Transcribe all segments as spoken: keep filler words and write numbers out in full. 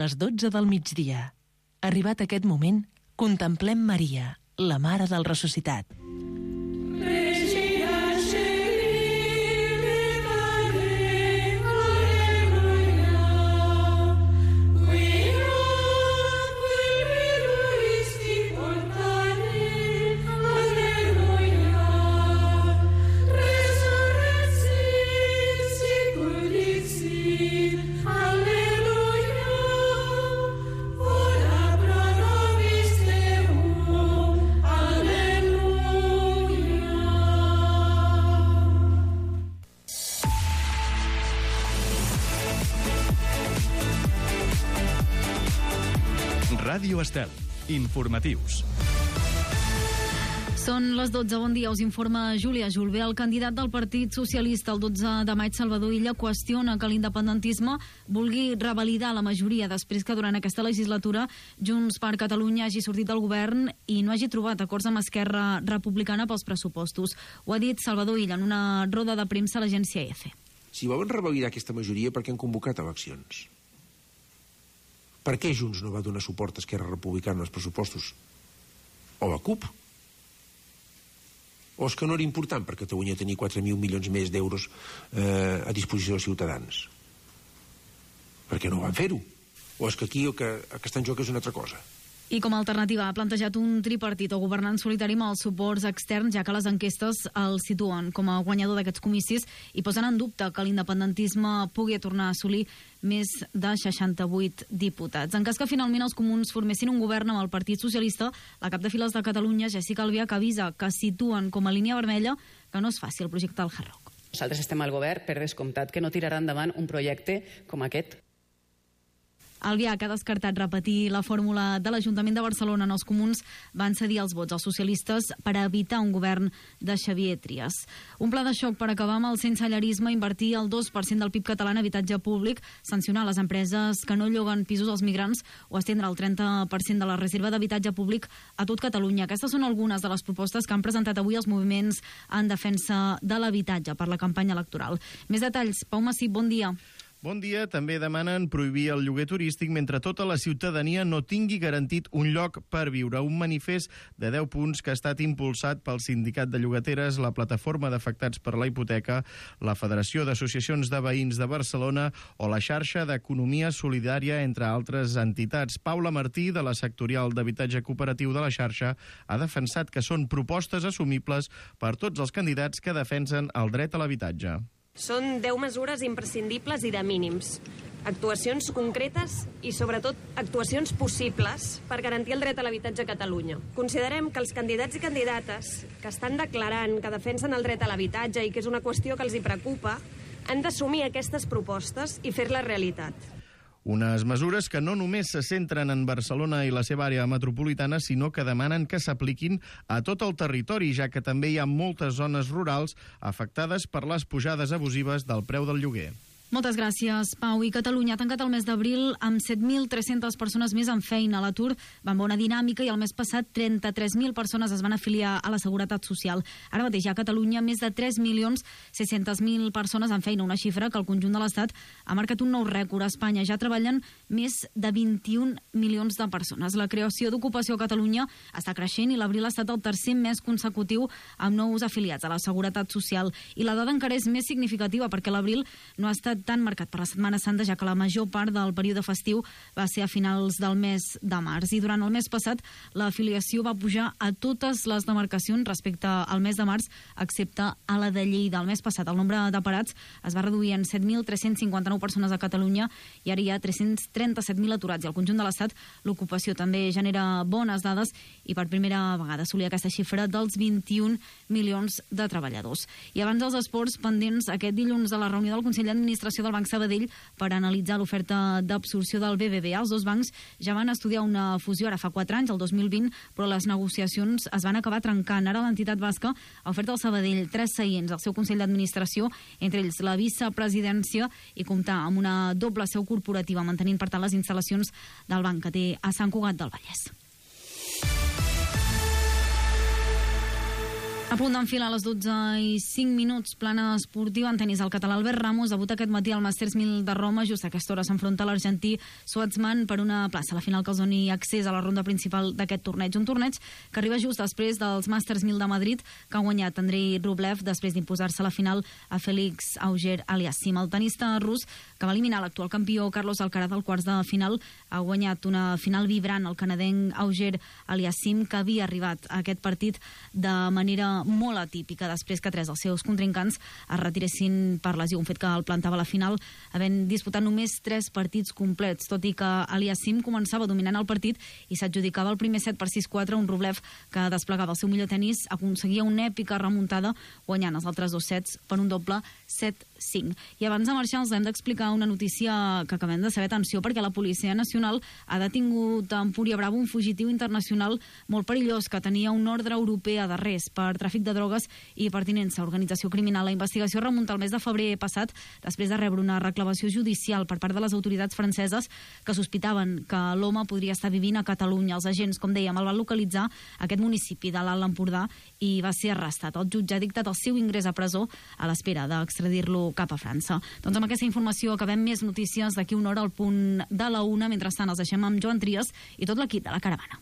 les dotze del migdia. Arribat aquest moment, contemplem Maria, la Mare del Ressuscitat. Ràdio Estel. Informatius. Són les dotze. Bon dia, us informa Júlia Julve. El candidat del Partit Socialista el dotze de maig, Salvador Illa, qüestiona que l'independentisme vulgui revalidar la majoria després que durant aquesta legislatura Junts per Catalunya hagi sortit del govern i no hagi trobat acords amb Esquerra Republicana pels pressupostos. Ho ha dit Salvador Illa en una roda de premsa a l'agència E F E. Si volen revalidar aquesta majoria, per què han convocat eleccions? Per què Junts no va donar suport a Esquerra Republicana als pressupostos? O la CUP? O és que no era important per Catalunya tenir quatre mil milions més d'euros eh, a disposició dels ciutadans? Per què no van fer-ho? O és que aquí el que, el que està en joc és una altra cosa? I com a alternativa ha plantejat un tripartit o governant solitari amb els suports externs, ja que les enquestes el situen com a guanyador d'aquests comicis i posen en dubte que l'independentisme pugui tornar a assolir més de seixanta-vuit diputats. En cas que finalment els comuns formessin un govern amb el Partit Socialista, la cap de files de Catalunya, Jessica Albiach, avisa que situen com a línia vermella que no es faci el projecte del Hard Rock. Nosaltres estem al govern per descomptat que no tirarà endavant un projecte com aquest. Albiach ha descartat repetir la fórmula de l'Ajuntament de Barcelona on els comuns van cedir els vots als socialistes per evitar un govern de Xavier Trias. Un pla de xoc per acabar amb el sensellarisme, invertir el dos per cent del P I B català en habitatge públic, sancionar les empreses que no lloguen pisos als migrants o estendre el trenta per cent de la reserva d'habitatge públic a tot Catalunya. Aquestes són algunes de les propostes que han presentat avui els moviments en defensa de l'habitatge per la campanya electoral. Més detalls. Pau Massip, bon dia. Bon dia. També demanen prohibir el lloguer turístic mentre tota la ciutadania no tingui garantit un lloc per viure. Un manifest de deu punts que ha estat impulsat pel Sindicat de Llogateres, la Plataforma d'Afectats per la Hipoteca, la Federació d'Associacions de Veïns de Barcelona o la Xarxa d'Economia Solidària, entre altres entitats. Paula Martí, de la sectorial d'habitatge cooperatiu de la xarxa, ha defensat que són propostes assumibles per tots els candidats que defensen el dret a l'habitatge. Són deu mesures imprescindibles i de mínims. Actuacions concretes i, sobretot, actuacions possibles per garantir el dret a l'habitatge a Catalunya. Considerem que els candidats i candidates que estan declarant que defensen el dret a l'habitatge i que és una qüestió que els hi preocupa, han d'assumir aquestes propostes i fer-les realitat. Unes mesures que no només se centren en Barcelona i la seva àrea metropolitana, sinó que demanen que s'apliquin a tot el territori, ja que també hi ha moltes zones rurals afectades per les pujades abusives del preu del lloguer. Moltes gràcies, Pau. I Catalunya ha tancat el mes d'abril amb set mil tres-centes persones més en feina. L'atur va amb bona dinàmica i el mes passat trenta-tres mil persones es van afiliar a la Seguretat Social. Ara mateix a Catalunya més de tres milions sis-centes mil persones en feina, una xifra que al conjunt de l'Estat ha marcat un nou rècord. A Espanya ja treballen més de vint-i-un milions de persones. La creació d'ocupació a Catalunya està creixent i l'abril ha estat el tercer mes consecutiu amb nous afiliats a la Seguretat Social. I la dada encara és més significativa perquè l'abril no ha estat tan marcat per la Setmana Santa, ja que la major part del període festiu va ser a finals del mes de març. I durant el mes passat l'afiliació va pujar a totes les demarcacions respecte al mes de març, excepte a la de Lleida. El mes passat el nombre de parats es va reduir en set mil tres-cents cinquanta-nou persones a Catalunya i ara hi ha tres-cents trenta-set mil aturats. I al conjunt de l'Estat l'ocupació també genera bones dades i per primera vegada assolia aquesta xifra dels vint-i-un milions de treballadors. I abans dels esports, pendents aquest dilluns de la reunió del Consell d'Administració del Banc Sabadell per analitzar l'oferta d'absorció del B B V A. Els dos bancs ja van estudiar una fusió ara fa quatre anys, el dos mil vint, però les negociacions es van acabar trencant. Ara l'entitat basca ha ofert al Sabadell tres seients al seu Consell d'Administració, entre ells la vicepresidència, i comptar amb una doble seu corporativa, mantenint per tant les instal·lacions del banc que té a Sant Cugat del Vallès. A punt d'enfilar a les dotze i cinc minuts, plana esportiva en tenis. El català Albert Ramos debuta aquest matí al Masters mil de Roma. Just a aquesta hora s'enfronta l'argentí Schwartzman per una plaça a la final que els doni accés a la ronda principal d'aquest torneig. Un torneig que arriba just després dels Masters mil de Madrid, que ha guanyat Andrei Rublev després d'imposar-se a la final a Félix Auger-Aliassime. El tenista rus, que va eliminar l'actual campió Carlos Alcaraz al quarts de final, ha guanyat una final vibrant. El canadenc Auger-Aliassime, que havia arribat a aquest partit de manera molt atípica després que tres dels seus contrincants es retiressin per lesió, un fet que el plantava a la final, havent disputat només tres partits complets, tot i que Aliassime començava dominant el partit i s'adjudicava el primer set per sis quatre, un Rublev que desplegava el seu millor tenis, aconseguia una èpica remuntada guanyant els altres dos sets per un doble set cinc. I abans de marxar els hem d'explicar una notícia que acabem de saber. Atenció, perquè la Policia Nacional ha detingut a Empúria Bravo un fugitiu internacional molt perillós que tenia una ordre europea d'arrest per tràfic de drogues i pertinença a organització criminal. La investigació remunta al mes de febrer passat, després de rebre una reclamació judicial per part de les autoritats franceses que sospitaven que l'home podria estar vivint a Catalunya. Els agents, com dèiem, el van localitzar a aquest municipi de l'Alt Empordà i va ser arrestat. El jutge ha dictat el seu ingrés a presó a l'espera d'extradir-lo cap a França. Doncs amb aquesta informació acabem. Més notícies d'aquí una hora al punt de la una. Mentrestant els deixem amb Joan Trias i tot l'equip de La Caravana.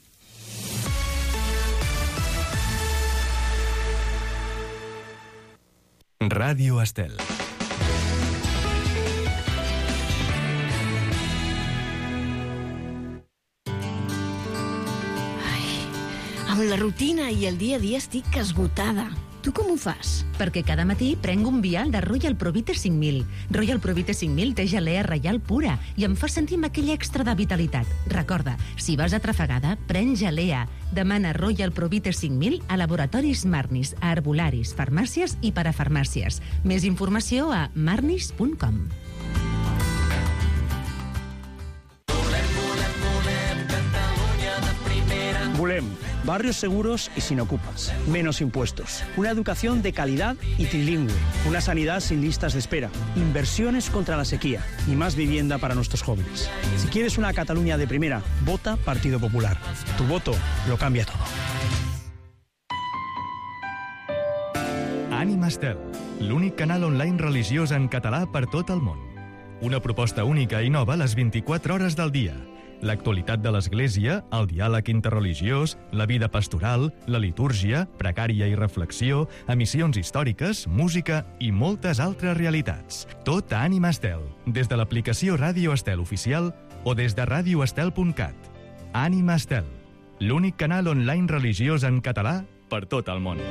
Ràdio Estel. Amb la rutina i el dia a dia estic esgotada. Tu com ho fas? Perquè cada matí prenc un vial de Royal Provite cinc mil. Royal Provite cinc mil té gelea reial pura i em fa sentir amb aquell extra de vitalitat. Recorda, si vas atrafegada, pren gelea. Demana Royal Provite cinc mil a laboratoris Marnis, a herbolaris, farmàcies i parafarmàcies. Més informació a marnis punt com. Volem barrios seguros y sin ocupas, menos impuestos, una educación de calidad y trilingüe, una sanidad sin listas de espera, inversiones contra la sequía y más vivienda para nuestros jóvenes. Si quieres una Cataluña de primera, vota Partido Popular. Tu voto lo cambia todo. Ànima Estel, l'únic canal online religiós en català per tot el món. Una proposta única i nova a les vint-i-quatre hores del dia. L'actualitat de l'Església, el diàleg interreligiós, la vida pastoral, la litúrgia, precària i reflexió, emissions històriques, música i moltes altres realitats. Tot a Ànima Estel, des de l'aplicació Ràdio Estel oficial o des de radio estel punt cat. Ànima Estel, l'únic canal online religiós en català per tot el món.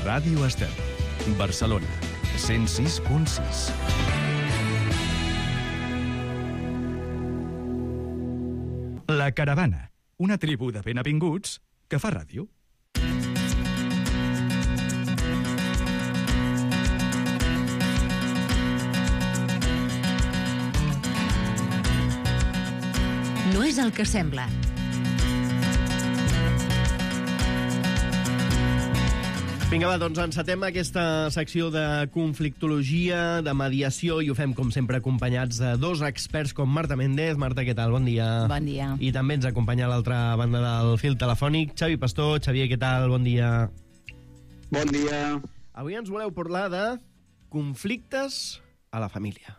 Ràdio Estel, Barcelona, cent sis punt sis. La Caravana, una tribu de benavinguts que fa ràdio. No és el que sembla. Vinga, va, doncs encetem aquesta secció de conflictologia, de mediació, i ho fem, com sempre, acompanyats de dos experts com Marta Méndez. Marta, què tal? Bon dia. Bon dia. I també ens acompanya a l'altra banda del fil telefònic Xavi Pastor. Xavier, què tal? Bon dia. Bon dia. Avui ens voleu parlar de conflictes a la família.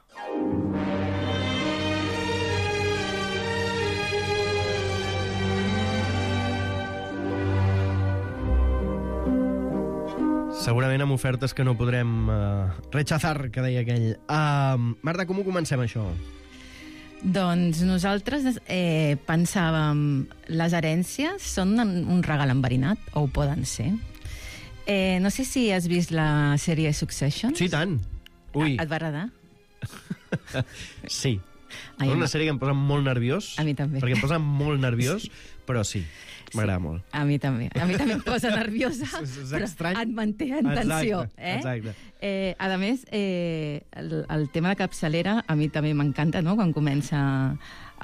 Segurament amb ofertes que no podrem uh, rechazar, que deia aquell. Uh, Marta, com ho comencem, això? Doncs nosaltres eh, pensàvem les herències són un regal enverinat, o ho poden ser. Eh, no sé si has vist la sèrie Succession. Sí, tant. Ui. Et va agradar? Sí. És una sèrie que em posa molt nerviós. A mi també. Perquè em posa molt nerviós, però sí. M'agrada sí, molt. A mi també. A mi també em posa nerviosa, és, és però estrany. et manté en tensió. Exacte, eh? exacte. Eh, a més, eh, el, el tema de capçalera a mi també m'encanta, no?, quan comença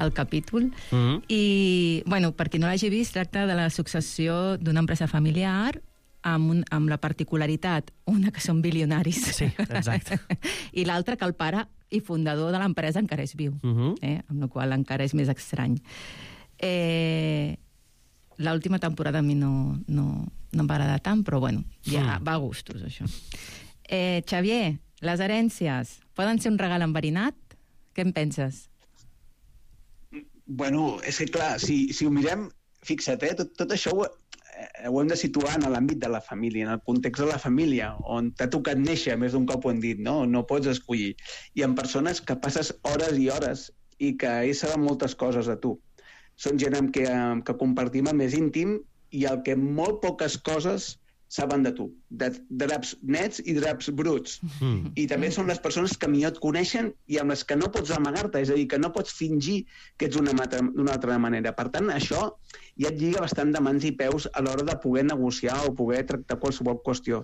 el capítol. Mm-hmm. I, bueno, per qui no l'hagi vist, tracta de la successió d'una empresa familiar amb, un, amb la particularitat, una que són bilionaris. Sí, exacte. I l'altra que el pare i fundador de l'empresa encara és viu, Uh-huh. eh? Amb la qual encara és més estrany. Eh, L'última temporada a mi no, no, no em va agradar tant, però bueno, ja Mm. va a gustos, això. Eh, Xavier, les herències poden ser un regal enverinat? Què en penses? Bueno, és que clar, si, si ho mirem, fixa't, eh, tot, tot això ho, eh, ho hem de situar en l'àmbit de la família, en el context de la família, on t'ha tocat néixer, més d'un cop ho hem dit, no? No pots escollir. I en persones que passes hores i hores i que ells saben moltes coses de tu. Són gent amb què, amb que compartim el més íntim i el que molt poques coses saben de tu. De draps nets i draps bruts. Mm. I també són les persones que millor et coneixen i amb les que no pots amagar-te, és a dir, que no pots fingir que ets d'una d'una altra manera. Per tant, això ja et lliga bastant de mans i peus a l'hora de poder negociar o poder tractar qualsevol qüestió.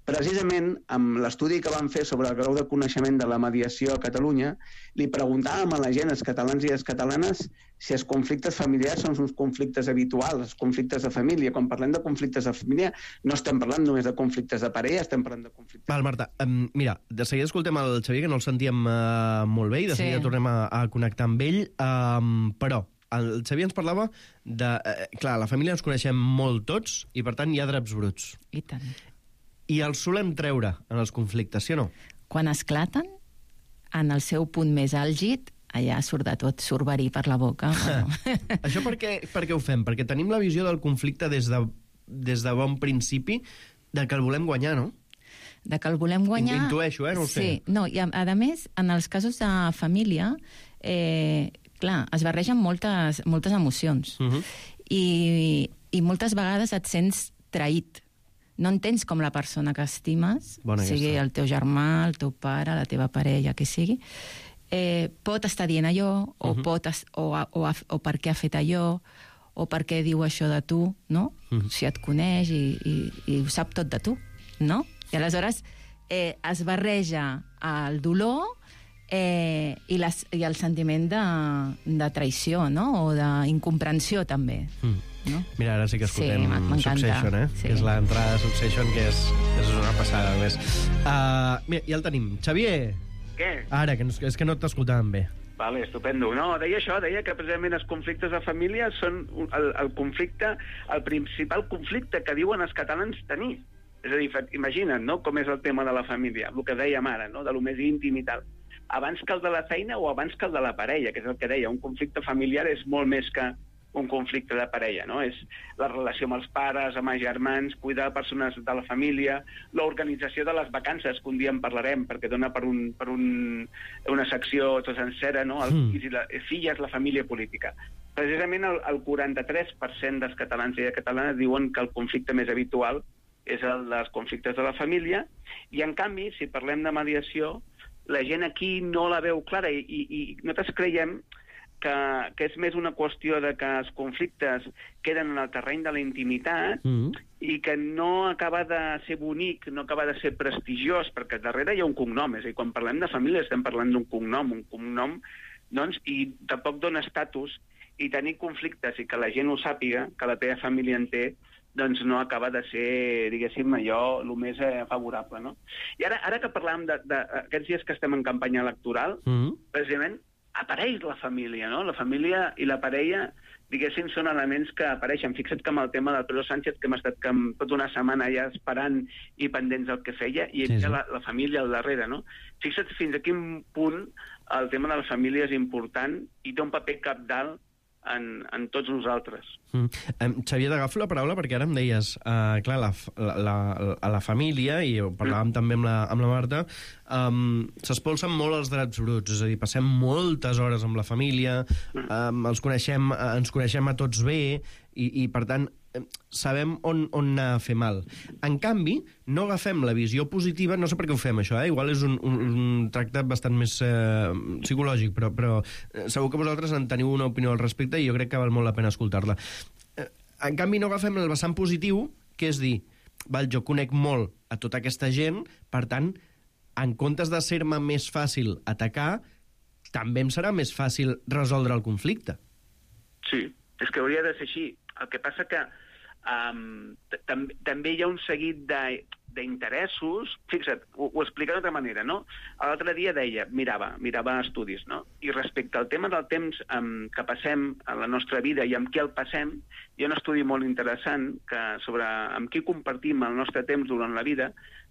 Precisament, amb l'estudi que vam fer sobre el grau de coneixement de la mediació a Catalunya, li preguntàvem a la gent, els catalans i les catalanes, si els conflictes familiars són uns conflictes habituals, els conflictes de família. Quan parlem de conflictes de família, no estem parlant només de conflictes de parella, estem parlant de conflictes... Val, Marta, um, mira, de seguida escoltem el Xavier, que no el sentíem uh, molt bé, i de Sí. seguida tornem a, a connectar amb ell, um, però el Xavier ens parlava de... Uh, clar, la família ens coneixem molt tots, i per tant hi ha draps bruts. I tant. I els solem treure en els conflictes, sí o no? Quan esclaten, en el seu punt més àlgid, allà surt de tot, surt verí per la boca. Bueno. Això per què, per què ho fem? Perquè tenim la visió del conflicte des de, des de bon principi de que el volem guanyar, no? De que el volem guanyar... Intueixo, eh? No ho sé. Sí, no, i a, a més, en els casos de família, eh, clar, es barregen moltes, moltes emocions. Uh-huh. I, I moltes vegades et sents traït. No entens com la persona que estimes, Bona sigui aquesta. el teu germà, el teu pare, la teva parella, que sigui, eh, pot estar dient allò, o, Uh-huh. pot es, o, o, o, o per què ha fet allò, o per què diu això de tu, no? Uh-huh. Si et coneix i, i, i ho sap tot de tu, no? I aleshores eh, es barreja el dolor eh, i, les, i el sentiment de, de traïció, no? O d'incomprensió, també. Mm. No? Mira, ara sí que escoltem Sí, m'encanta. Succession, eh? Sí. Que és l'entrada de Succession, que és, que és una passada, més. Uh, mira, ja el tenim. Xavier! Què? Ara, que no, és que no t'escoltàvem bé. Vale, estupendo. No, deia això, deia que precisament els conflictes de família són un- el, el conflicte, el principal conflicte que diuen els catalans tenir. És a dir, fa- imagina't, no?, com és el tema de la família, el que dèiem ara, no?, de lo més íntim i tal. Abans que el de la feina o abans que el de la parella, que és el que deia, un conflicte familiar és molt més que un conflicte de parella, no? És la relació amb els pares, amb els germans, cuidar de persones de la família, l'organització de les vacances, que un dia en parlarem, perquè dona per, un, per un, una secció tot sencera, no? Els Mm. fills i la, filles, la família política. Precisament el, el quaranta-tres per cent dels catalans i de catalanes diuen que el conflicte més habitual és el dels conflictes de la família, i en canvi, si parlem de mediació, la gent aquí no la veu clara, i, i, i nosaltres creiem que, que és més una qüestió de que els conflictes queden en el terreny de la intimitat Mm. i que no acaba de ser bonic, no acaba de ser prestigiós, perquè darrere hi ha un cognom, és a dir, quan parlem de família estem parlant d'un cognom, un cognom, doncs, i tampoc dona estatus, i tenir conflictes i que la gent ho sàpiga, que la teva família en té, doncs no acaba de ser, diguéssim, allò el més eh, favorable, no? I ara, ara que parlàvem d'aquests dies que estem en campanya electoral, Mm. precisament apareix la família, no? La família i la parella, diguéssim, són elements que apareixen. Fixa't que amb el tema del Pedro Sánchez, que hem estat que amb tota una setmana ja esperant i pendents del que feia, i Sí, sí, sí. sí. La, la família al darrere, no? Fixa't fins a quin punt el tema de la família és important i té un paper capdalt en, en tots nosaltres. Mm. Um, Xavier, t'agafo la paraula perquè ara em deies, uh, clar, la, la, la, a la família, i ho parlàvem mm. també amb la, amb la Marta, um, s'espolsen molt els drets bruts, és a dir, passem moltes hores amb la família, um, els coneixem, uh, ens coneixem a tots bé, i, i per tant, eh, sabem on, on anar a fer mal. En canvi, no agafem la visió positiva, no sé per què ho fem això, eh? Igual és un, un, un tractat bastant més eh, psicològic, però, però eh, segur que vosaltres en teniu una opinió al respecte i jo crec que val molt la pena escoltar-la. Eh, en canvi, no agafem el vessant positiu, que és dir, val, jo conec molt a tota aquesta gent, per tant, en comptes de ser-me més fàcil atacar, també em serà més fàcil resoldre el conflicte. Sí, és que hauria de ser així. El que passa que um, tam també hi ha un seguit de d'interessos, fixa't, ho, ho explica d'altra manera, no? L'altre dia deia, mirava, mirava estudis, no? I respecte al tema del temps um, que passem a la nostra vida i amb qui el passem, hi ha un estudi molt interessant que sobre amb qui compartim el nostre temps durant la vida,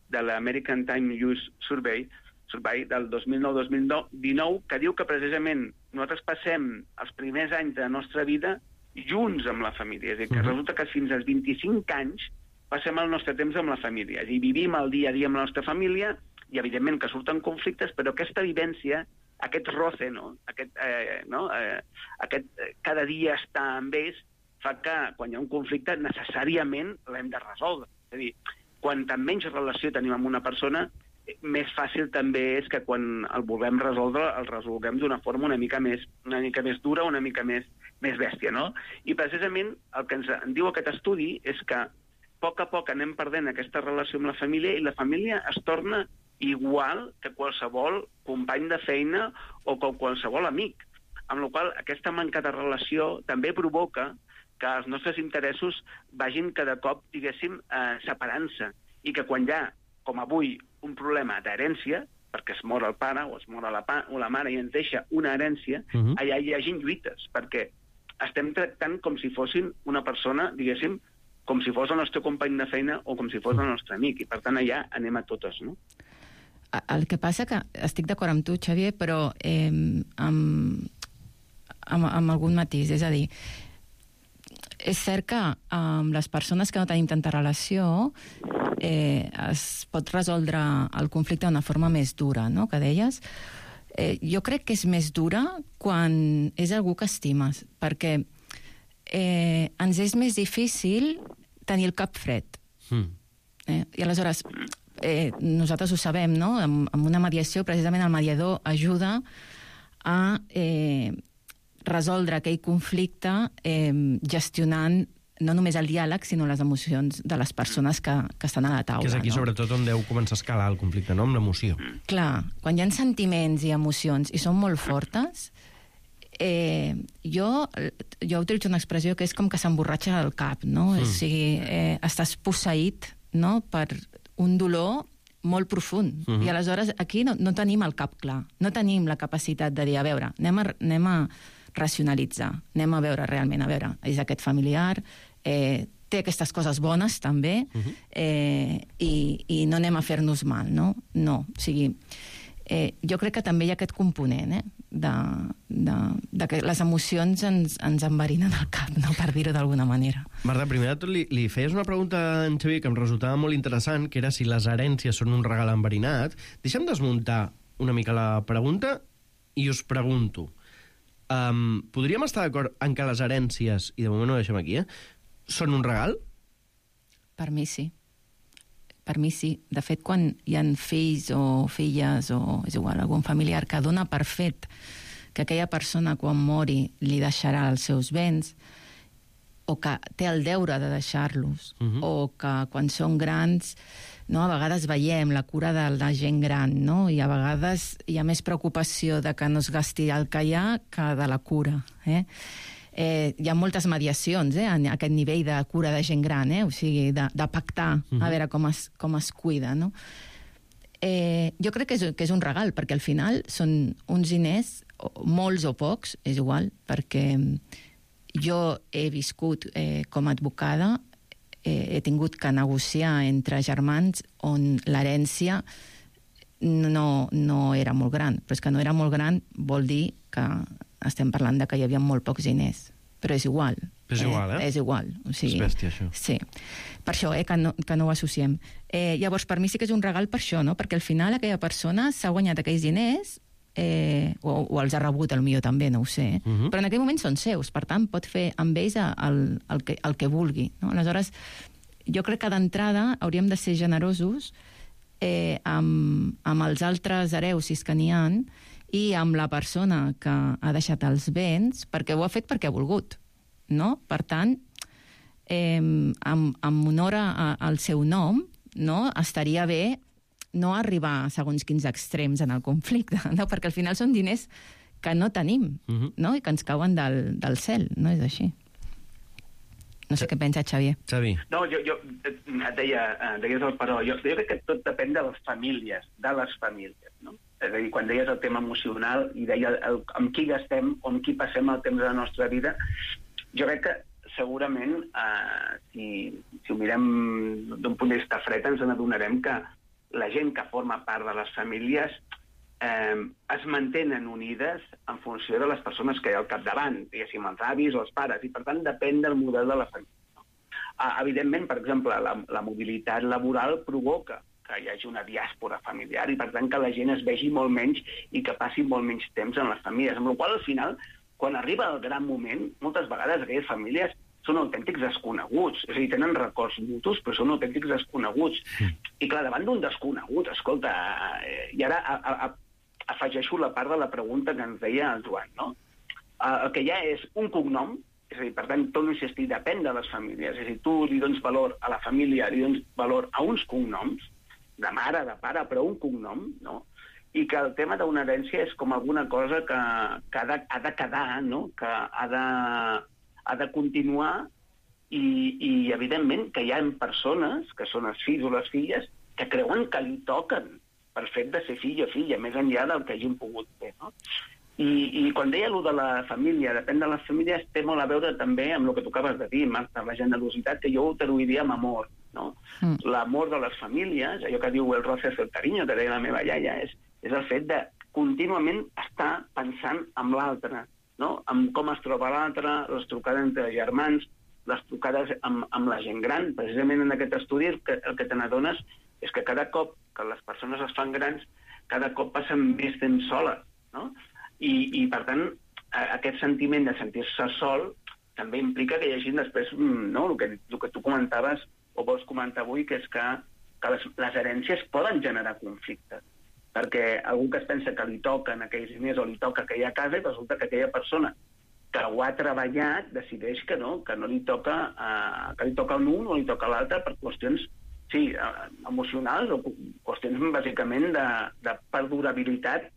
de l'American Time Use Survey, Survey del dos mil nou dos mil dinou, que diu que precisament nosaltres passem els primers anys de la nostra vida junts amb la família. És a dir, que resulta que fins als vint-i-cinc anys passem el nostre temps amb la família. És a dir, vivim el dia a dia amb la nostra família i, evidentment, que surten conflictes, però aquesta vivència, aquest roce, no? Aquest, eh, no? Eh, aquest eh, cada dia estar amb ells, fa que, quan hi ha un conflicte, necessàriament l'hem de resoldre. És a dir, quanta menys relació tenim amb una persona, més fàcil també és que quan el vulguem resoldre, el resolguem d'una forma una mica més, una mica més dura, una mica més, més bèstia, no? I precisament el que ens en diu aquest estudi és que a poc a poc anem perdent aquesta relació amb la família i la família es torna igual que qualsevol company de feina o com qualsevol amic. Amb la qual cosa, aquesta manca de relació també provoca que els nostres interessos vagin cada cop, diguéssim, eh, separant-se. I que quan hi ha, com avui, un problema d'herència, perquè es mor el pare o es mor la, pa, o la mare i ens deixa una herència, uh -huh. allà hi hagin lluites, perquè estem tractant com si fossin una persona, diguéssim, com si fos el nostre company de feina o com si fos el nostre amic, i per tant allà anem a totes, no? El que passa que estic d'acord amb tu, Xavier, però eh, amb, amb, amb algun matís, és a dir, és cert que amb les persones que no tenim tanta relació eh, es pot resoldre el conflicte d'una forma més dura, no?, que deies. Eh, jo crec que és més dura quan és algú que estimes, perquè eh, ens és més difícil tenir el cap fred. Mm. Eh? I aleshores, eh, nosaltres ho sabem, no? Amb, amb una mediació, precisament el mediador ajuda a eh, resoldre aquell conflicte eh, gestionant no només el diàleg, sinó les emocions de les persones que, que estan a la taula. Que és aquí, no? Sobretot, on deu començar a escalar el conflicte, no?, amb l'emoció. Clar, quan hi ha sentiments i emocions i són molt fortes, eh, jo, jo utilitzo una expressió que és com que s'emborratxa el cap, no? Mm. O sigui, eh, estàs posseït, no?, per un dolor molt profund. Mm-hmm. I aleshores aquí no, no tenim el cap clar, no tenim la capacitat de dir, a veure, anem a, anem a racionalitzar, anem a veure realment, a veure, és aquest familiar, eh, té aquestes coses bones també, uh-huh. eh, i, i no anem a fer-nos mal, no? No, o sigui, eh, jo crec que també hi ha aquest component, eh, de, de, de que les emocions ens, ens enverinen el cap, no?, per dir-ho d'alguna manera. Marta, primer de tot li, li feies una pregunta a en Xavier que em resultava molt interessant, que era si les herències són un regal enverinat. Deixa'm desmuntar una mica la pregunta i us pregunto, Um, podríem estar d'acord en que les herències, i de moment ho deixem aquí, eh, són un regal? Per mi sí. Per mi sí. De fet, quan hi ha fills o filles o és igual, algun familiar que dona per fet que aquella persona quan mori li deixarà els seus béns o que té el deure de deixar-los, uh-huh. o que quan són grans, no, a vegades veiem la cura de la gent gran, no? I a vegades hi ha més preocupació de que no es gasti el que hi ha que de la cura. Eh? Eh, hi ha moltes mediacions eh, a aquest nivell de cura de gent gran, eh? O sigui, de, de pactar, uh-huh. a veure com es, com es cuida, no? Eh, jo crec que és, que és un regal, perquè al final són uns diners, molts o pocs, és igual, perquè jo he viscut eh, com a advocada, eh, he tingut que negociar entre germans on l'herència no, no era molt gran. Però és que no era molt gran vol dir que estem parlant de que hi havia molt pocs diners. Però és igual. És igual, eh? eh? És igual. O sigui, és bèstia, això. Sí. Per això, eh, que no, que no ho associem. Eh, llavors, per mi sí que és un regal per això, no? Perquè al final aquella persona s'ha guanyat aquells diners Eh, o, o els ha rebut, potser també, no ho sé, uh-huh. però en aquell moment són seus, per tant pot fer amb ells el, el, que, el que vulgui, no? Aleshores, jo crec que d'entrada hauríem de ser generosos eh, amb, amb els altres hereus, si és que n'hi ha, i amb la persona que ha deixat els béns, perquè ho ha fet perquè ha volgut, no? Per tant, eh, amb, amb honor a, al seu nom, no? Estaria bé no arribar a segons quins extrems en el conflicte, no? Perquè al final són diners que no tenim, uh-huh. no? I que ens cauen del, del cel, no és així. No sé què pensa Xavier. Xavi. No, jo, jo et deia, deies el però, jo, jo crec que tot depèn de les famílies, de les famílies, no? És a dir, quan deies el tema emocional i deia el, amb qui gastem o amb qui passem el temps de la nostra vida, jo crec que segurament, eh, si, si ho mirem d'un punt de vista fred, ens n'adonarem que la gent que forma part de les famílies eh, es mantenen unides en funció de les persones que hi ha al capdavant, diguéssim, els avis o els pares, i per tant depèn del model de la família. No? Ah, evidentment, per exemple, la, la mobilitat laboral provoca que hi hagi una diàspora familiar i per tant que la gent es vegi molt menys i que passi molt menys temps en les famílies, amb la qual cosa, al final, quan arriba el gran moment, moltes vegades aquelles famílies són autèntics desconeguts, és a dir, tenen records mutus, però són autèntics desconeguts. Mm. I clar, davant d'un desconegut, escolta, eh, i ara a, a, a, afegeixo la part de la pregunta que ens deia el Joan, no? Eh, el que hi ha és un cognom, és a dir, per tant, torno a insistir, depèn de les famílies, és a dir, tu li dones valor a la família, li dones valor a uns cognoms, de mare, de pare, però un cognom, no? I que el tema d'una herència és com alguna cosa que, que ha, de, ha de quedar, no? Que ha de... ha de continuar i, i, evidentment, que hi ha persones, que són els fills o les filles, que creuen que li toquen per fet de ser fill o filla, més enllà del que hagin pogut fer, no? I, i quan deia allò de la família, depèn de les famílies, té molt a veure també amb el que tu acabes de dir, Marta, la generositat, que jo ho traduiria amb amor, no? Mm. L'amor de les famílies, allò que diu el roce hace el cariño, que deia la meva iaia, és, és el fet de contínuament estar pensant en l'altre, no? Amb com es troba l'altre, les trucades entre germans, les trucades amb, amb la gent gran. Precisament en aquest estudi el que, el que te n'adones és que cada cop que les persones es fan grans, cada cop passen més temps soles, no? I, i per tant, aquest sentiment de sentir-se sol també implica que hi hagi després, no?, el que, el que tu comentaves o vols comentar avui, que és que, que les, les herències poden generar conflictes. Perquè algú que es pensa que li toquen aquells diners o li toca aquella casa i resulta que aquella persona que ho ha treballat decideix que no, que no li toca, eh, que li toca a un o li toca a l'altre per qüestions, sí, emocionals o qüestions bàsicament de, de perdurabilitat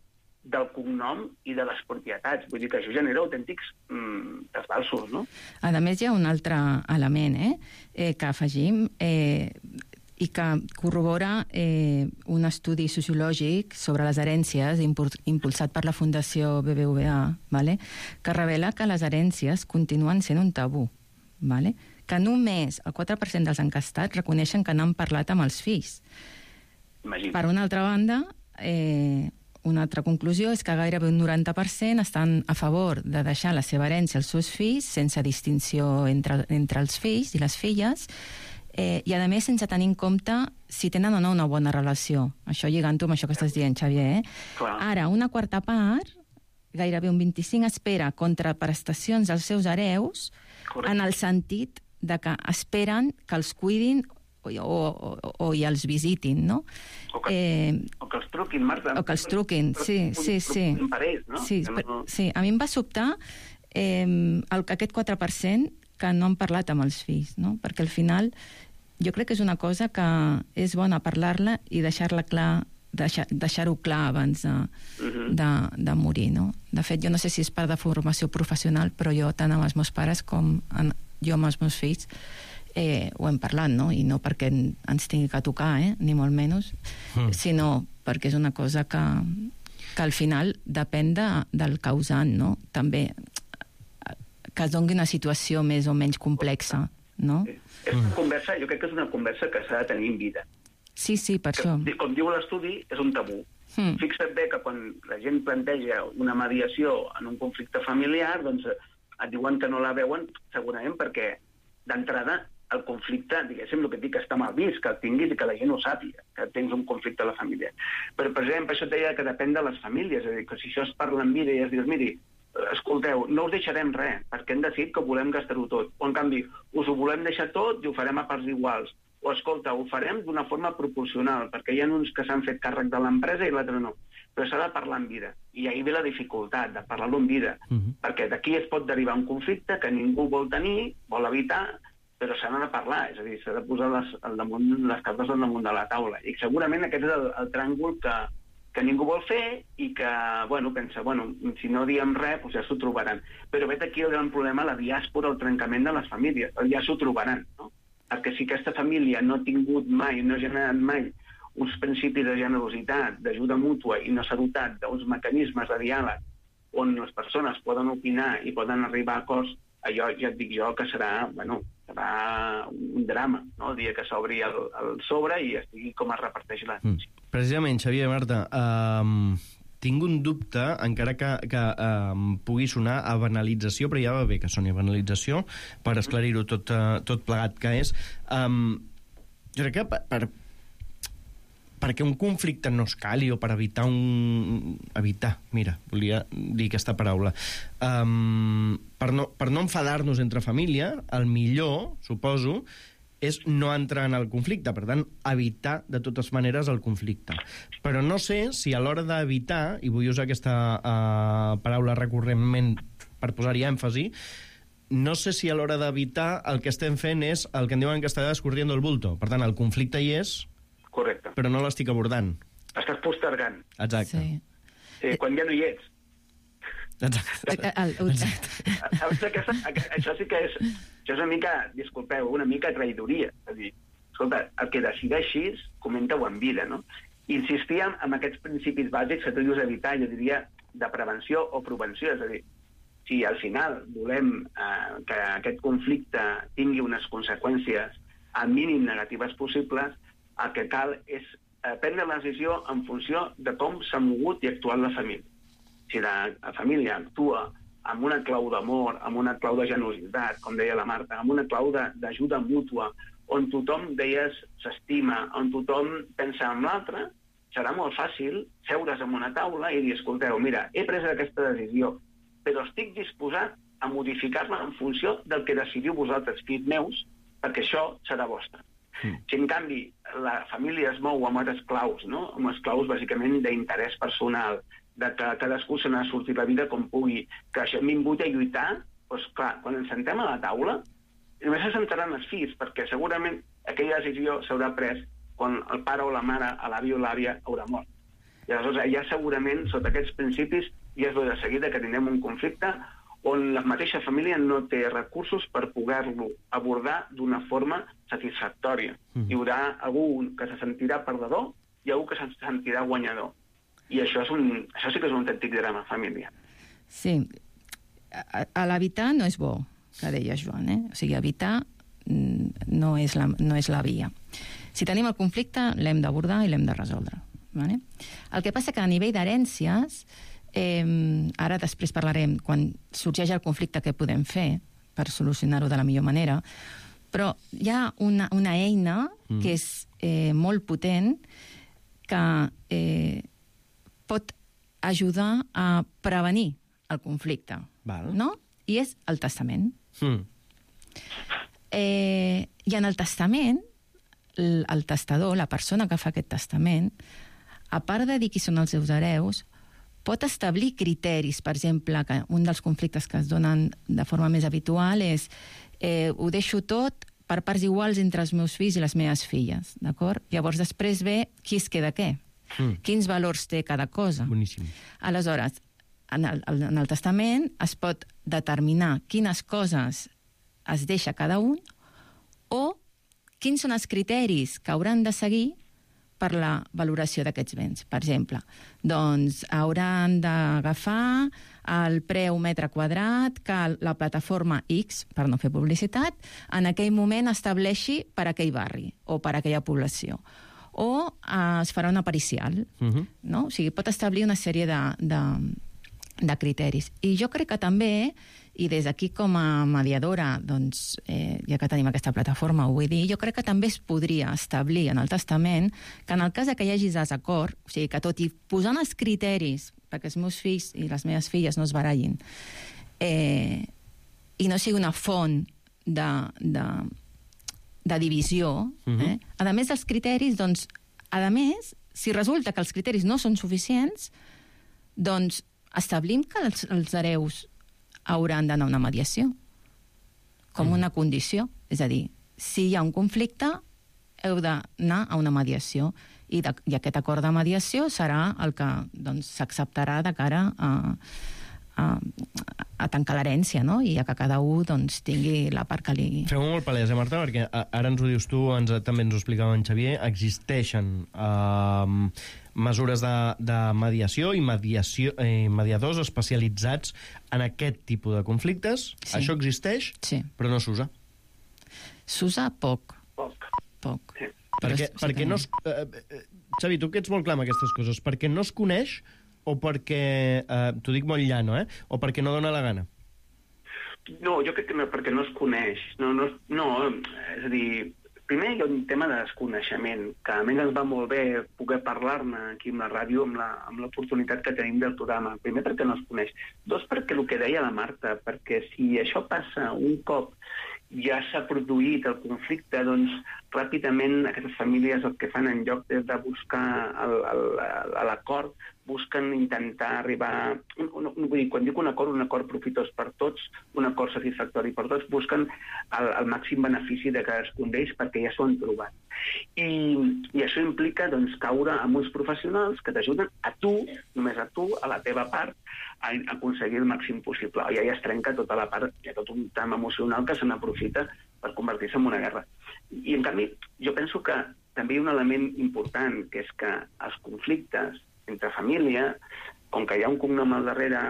del cognom i de les propietats. Vull dir que això genera autèntics mm, desbalsos, no? A més, hi ha un altre element eh, eh, que afegim, eh, i que corrobora eh, un estudi sociològic sobre les herències impulsat per la Fundació B B V A, vale? Que revela que les herències continuen sent un tabú, vale? Que només el quatre per cent dels encastats reconeixen que n'han parlat amb els fills. Imagina. Per una altra banda, eh, una altra conclusió és que gairebé un noranta per cent estan a favor de deixar la seva herència als seus fills sense distinció entre, entre els fills i les filles, Eh, i a més sense tenir en compte si tenen o no una bona relació. Això lligant-ho amb això que estàs dient, Xavier. Eh? Ara, una quarta part, gairebé un vint-i-cinc, espera contraprestacions als seus hereus. Correcte. En el sentit de que esperen que els cuidin o, o, o, o i els visitin, no? O que, eh, o que els truquin, Marta. O que els truquin, sí, sí, sí. Per ells, no? Sí, no... sí, a mi em va sobtar eh, el, aquest quatre per cent que no han parlat amb els fills, no? Perquè al final jo crec que és una cosa que és bona parlar-la i deixar-la clar, deixar, deixar-ho clar abans de, uh-huh. de, de morir, no? De fet, jo no sé si és part de formació professional, però jo, tant amb els meus pares com en, jo amb els meus fills, eh, ho hem parlat, no? I no perquè ens tingui que tocar, eh? Ni molt menys, uh-huh. sinó perquè és una cosa que, que al final depèn de, del causant, no? També que es doni una situació més o menys complexa, no? És una conversa, jo crec que és una conversa que s'ha de tenir en vida. Sí, sí, per que, això. Com diu l'estudi, és un tabú. Mm. Fixa't bé que quan la gent planteja una mediació en un conflicte familiar, doncs et diuen que no la veuen, segurament perquè d'entrada el conflicte, diguéssim, el que et dic, està mal vist, que el tinguis i que la gent ho sàpiga, que tens un conflicte a la família. Però, per exemple, això et deia que depèn de les famílies, és a dir, que si això es parla en vida i es dius, miri, escolteu, no us deixarem res, perquè hem decidit que volem gastar-ho tot. O, en canvi, us ho volem deixar tot i ho farem a parts iguals. O, escolta, ho farem d'una forma proporcional, perquè hi ha uns que s'han fet càrrec de l'empresa i l'altre no. Però s'ha de parlar en vida. I ahir ve la dificultat de parlar-lo en vida. Uh-huh. Perquè d'aquí es pot derivar un conflicte que ningú vol tenir, vol evitar, però s'ha de parlar. És a dir, s'ha de posar les, al damunt, les cartes al damunt de la taula. I segurament aquest és el, el tràngol que, que ningú vol fer i que, bueno, pensa, bueno, si no diem res, doncs ja s'ho trobaran. Però vet aquí el gran problema, la diàspora, el trencament de les famílies. Ja s'ho trobaran, no? Perquè si aquesta família no ha tingut mai, no ha generat mai uns principis de generositat, d'ajuda mútua i no s'ha dotat d'uns mecanismes de diàleg on les persones poden opinar i poden arribar a acords, allò ja et dic jo que serà, bueno, serà un drama, no? El dia que s'obri el, el sobre i estigui com es reparteix la... Mm. Precisament, Xavier, Marta, um, tinc un dubte, encara que, que um, pugui sonar a banalització, però ja va bé que soni a banalització, per esclarir-ho tot, uh, tot plegat que és. Um, jo crec que per, per, perquè un conflicte no escali o per evitar un... Evitar, mira, volia dir aquesta paraula. Um, per no, per no enfadar-nos entre família, el millor, suposo, és no entrar en el conflicte, per tant, evitar de totes maneres el conflicte. Però no sé si a l'hora d'evitar, i vull usar aquesta uh, paraula recurrentment per posar-hi èmfasi, no sé si a l'hora d'evitar el que estem fent és el que en diuen en castellà escorriendo el bulto. Per tant, el conflicte hi és, correcte, però no l'estic abordant. Estàs postergant. Exacte. Sí. Sí, quan ja no hi ets. Exacte. Exacte. Aquesta, això sí que és... Això és una mica, disculpeu, una mica traïdoria. És a dir, escolta, el que decideixis, comenta-ho en vida, no? Insistíem en aquests principis bàsics que tu dius evitar, jo diria, de prevenció o prevenció. És a dir, si al final volem eh, que aquest conflicte tingui unes conseqüències al mínim negatives possibles, el que cal és eh, prendre la decisió en funció de com s'ha mogut i actuat la família. Si la, la família actua amb una clau d'amor, amb una clau de generositat, com deia la Marta, amb una clau d'ajuda mútua, on tothom, deies, s'estima, on tothom pensa en l'altre, serà molt fàcil seure's en una taula i dir, escolteu, mira, he pres aquesta decisió, però estic disposat a modificar-la en funció del que decidiu vosaltres, fills meus, perquè això serà vostre. Mm. Si, en canvi, la família es mou amb unes claus, no? Amb unes claus, bàsicament, d'interès personal, de que cadascú se n'ha sortit la vida com pugui, que això hem vingut a lluitar, doncs clar, quan ens sentem a la taula, només se sentaran els fills, perquè segurament aquella decisió s'haurà pres quan el pare o la mare, l'avi o l'àvia haurà mort. I aleshores ja segurament, sota aquests principis, ja es ve de seguida que tindrem un conflicte on la mateixa família no té recursos per poder-lo abordar d'una forma satisfactòria. Mm. Hi haurà algú que se sentirà perdedor i algú que se sentirà guanyador. I això, és un, això sí que és un autèntic drama, família. Sí. A, a l'evitar no és bo, que deia Joan, eh? O sigui, evitar no és la, no és la via. Si tenim el conflicte, l'hem d'abordar i l'hem de resoldre. Vale? El que passa que a nivell d'herències, eh, ara després parlarem, quan sorgeix el conflicte, què podem fer per solucionar-ho de la millor manera, però hi ha una, una eina mm. que és eh, molt potent, que eh, pot ajudar a prevenir el conflicte. Val. No? I és el testament. Mm. Eh, I en el testament, el, el testador, la persona que fa aquest testament, a part de dir qui són els seus hereus, pot establir criteris. Per exemple, que un dels conflictes que es donen de forma més habitual és eh, ho deixo tot per parts iguals entre els meus fills i les meves filles, d'acord? Llavors després ve qui es queda què. Mm. Quins valors té cada cosa. Boníssim. Aleshores, en el, en el testament es pot determinar quines coses es deixa cada un o quins són els criteris que hauran de seguir per la valoració d'aquests béns. Per exemple, doncs hauran d'agafar el preu metre quadrat que la plataforma X, per no fer publicitat, en aquell moment estableixi per a aquell barri o per a aquella població. O eh, es farà una pericial, uh-huh. no? O sigui, pot establir una sèrie de, de, de criteris. I jo crec que també, i des d'aquí com a mediadora, doncs, eh, ja que tenim aquesta plataforma, ho vull dir, jo crec que també es podria establir en el testament que en el cas que hi hagi desacord, o sigui, que tot i posant els criteris perquè els meus fills i les meves filles no es barallin, eh, i no sigui una font de... de de divisió, uh-huh. eh? A més dels criteris, doncs, a més, si resulta que els criteris no són suficients, doncs establim que els, els hereus hauran d'anar a una mediació, com uh-huh. una condició. És a dir, si hi ha un conflicte, heu d'anar a una mediació. I, de, i aquest acord de mediació serà el que doncs, s'acceptarà de cara a, a, a tancar l'herència, no? I a que cada un doncs, tingui la part que li... Feu-ho molt palès, eh, Marta? Perquè ara ens ho dius tu, ens, també ens ho explicava en Xavier, existeixen eh, mesures de, de mediació i mediació, eh, mediadors especialitzats en aquest tipus de conflictes. Sí. Això existeix, sí. Però no s'usa. S'usa poc. Poc. Poc. Sí. Perquè, sí perquè no es, eh, eh, Xavi, tu que ets molt clar amb aquestes coses, perquè no es coneix o perquè, eh, t'ho dic molt llano, eh? O perquè no dona la gana? No, jo crec que no, perquè no es coneix. No, no, no, és a dir, primer hi ha un tema de desconeixement, que a més ens va molt bé poder parlar-ne aquí amb la ràdio, amb, la, amb l'oportunitat que tenim del programa. Primer perquè no es coneix. Dos, perquè el que deia la Marta, perquè si això passa un cop ja s'ha produït el conflicte, doncs ràpidament aquestes famílies el que fan en lloc de, de buscar l'acord, busquen intentar arribar... No, no, vull dir, quan dic un acord, un acord profitós per tots, un acord satisfactori per tots, busquen el, el màxim benefici de cadascun d'ells perquè ja s'ho han trobat. I, i això implica doncs, caure amb uns professionals que t'ajuden a tu, només a tu, a la teva part, a, a aconseguir el màxim possible. I ja es trenca tota la part, hi ha tot un tram emocional que se n'aprofita per convertir-se en una guerra. I, en canvi, jo penso que també hi ha un element important, que és que els conflictes entre família, com que hi ha un cognom al darrere,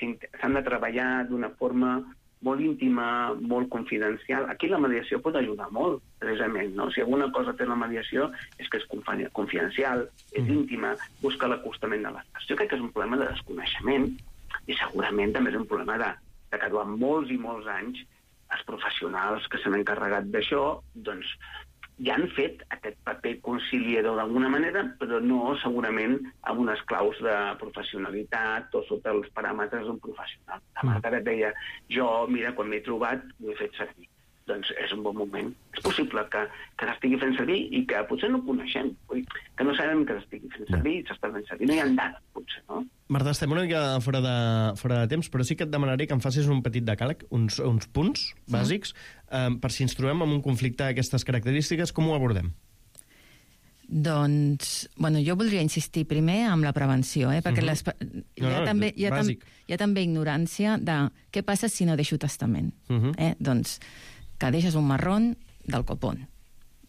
s'han de treballar d'una forma molt íntima, molt confidencial. Aquí la mediació pot ajudar molt, precisament, no? Si alguna cosa té la mediació és que és confidencial, és íntima, busca l'acostament de les parts. Jo crec que és un problema de desconeixement i segurament també és un problema de, de que durant molts i molts anys els professionals que s'han encarregat d'això, doncs, ja han fet aquest paper conciliador d'alguna manera, però no segurament amb unes claus de professionalitat o sota els paràmetres d'un professional. La Marta et deia, jo, mira, quan m'he trobat, ho he fet servir. Doncs és un bon moment. És possible que, que s'estigui fent servir i que potser no ho coneixem, que no sabem que s'estigui fent servir i s'està fent servir. No hi ha dades, potser, no? Marta, estem una mica fora de, fora de temps, però sí que et demanaré que em facis un petit decàleg, uns, uns punts bàsics, eh, per si ens trobem amb un conflicte d'aquestes característiques, com ho abordem? Doncs, bueno, jo voldria insistir primer amb la prevenció, eh? Perquè Uh-huh. les, hi, No, ha no, també, hi, ha tam, bàsic. hi ha també ignorància de què passa si no deixo testament. Uh-huh. eh? Doncs que deixes un marrón del copón.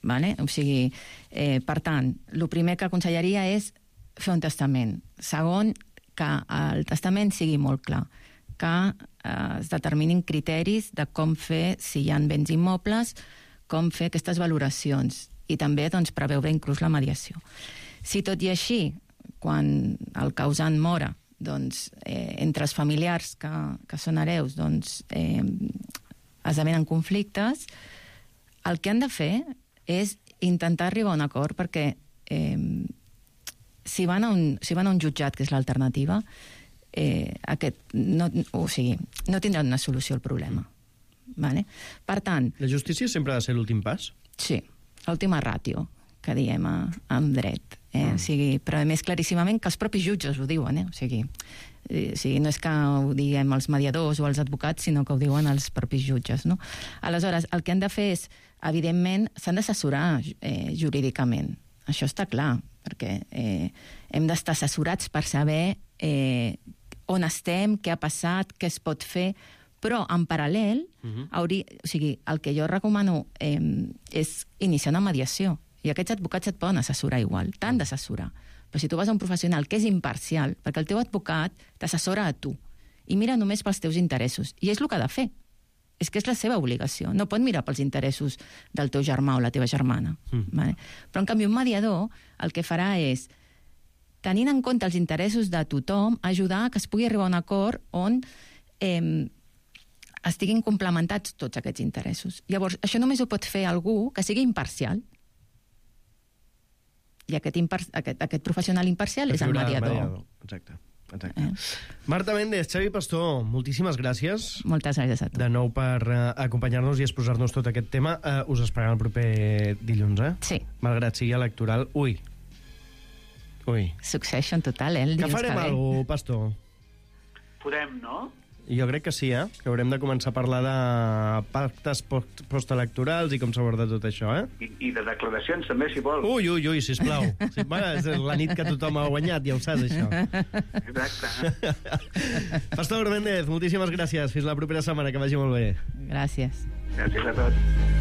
Vale? O sigui, eh, per tant, el primer que aconsellaria és fer un testament. Segon, que el testament sigui molt clar, que eh, es determinin criteris de com fer, si hi ha béns immobles, com fer aquestes valoracions i també doncs, preveure inclús la mediació. Si tot i així, quan el causant mora, doncs, eh, entre els familiars que, que són hereus, doncs, eh, esdevenen conflictes, el que han de fer és intentar arribar a un acord perquè eh, si, van a un, si van a un jutjat, que és l'alternativa, eh, aquest, no, o sigui, no tindran una solució al problema. Vale? Per tant... La justícia sempre ha de ser l'últim pas? Sí, l'última ràtio, que diem a, en dret. Eh? Mm. O sigui, però a més claríssimament que els propis jutges ho diuen, eh? O sigui, eh, o sigui, no és que ho diguem els mediadors o els advocats, sinó que ho diuen els propis jutges, no? Aleshores, el que han de fer és, evidentment, s'han d'assessorar eh, jurídicament. Això està clar, perquè eh, hem d'estar assessorats per saber eh, on estem, què ha passat, què es pot fer, però en paral·lel, uh-huh. hauria, o sigui, el que jo recomano eh, és iniciar una mediació. I aquests advocats et poden assessorar igual, t'han d'assessorar. Però si tu vas a un professional que és imparcial, perquè el teu advocat t'assessora a tu i mira només pels teus interessos, i és el que ha de fer. És que és la seva obligació. No pot mirar pels interessos del teu germà o la teva germana. Mm. Vale? Però, en canvi, un mediador el que farà és, tenint en compte els interessos de tothom, ajudar a que es pugui arribar a un acord on eh, estiguin complementats tots aquests interessos. Llavors, això només ho pot fer algú que sigui imparcial. I aquest, impar aquest, aquest professional imparcial és el mediador. mediador. Exacte. Exacte. Eh? Marta Méndez, Xavi Pastor, moltíssimes gràcies. Moltes gràcies a tu. De nou per uh, acompanyar-nos i exposar-nos tot aquest tema. Uh, us esperem el proper dilluns, eh? Sí. Malgrat sigui electoral. Ui. Ui. Succession total, eh? El que farem que alguna cosa, Pastor? Podem, no? Jo crec que sí, eh? Que haurem de començar a parlar de pactes post postelectorals i com s'aborda tot això, eh? I, I de declaracions també, si vol. Ui, ui, ui, sisplau. Sí, bueno, és la nit que tothom ha guanyat, ja ho saps, això. Exacte. Pastor Méndez, moltíssimes gràcies. Fins la propera setmana, que vagi molt bé. Gràcies. Gràcies a tots.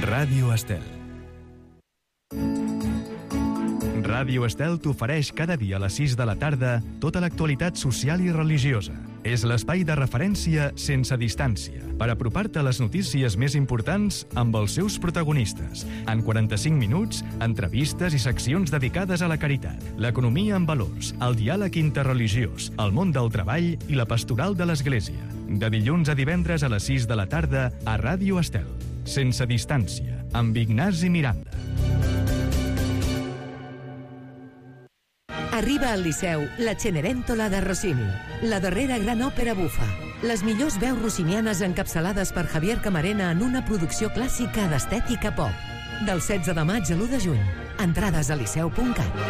Ràdio Estel. Ràdio Estel t'ofereix cada dia a les sis de la tarda tota l'actualitat social i religiosa. És l'espai de referència sense distància per apropar-te a les notícies més importants amb els seus protagonistes. En quaranta-cinc minuts, entrevistes i seccions dedicades a la caritat, l'economia en valors, el diàleg interreligiós, el món del treball i la pastoral de l'Església. De dilluns a divendres a les sis de la tarda a Ràdio Estel. Sense distància, amb Ignasi Miranda. Arriba al Liceu la Cenerentola de Rossini, la darrera gran òpera bufa. Les millors veus rossinianes encapçalades per Javier Camarena en una producció clàssica d'estètica pop. Del setze de maig a l'u de juny. Entrades a liceu punt cat.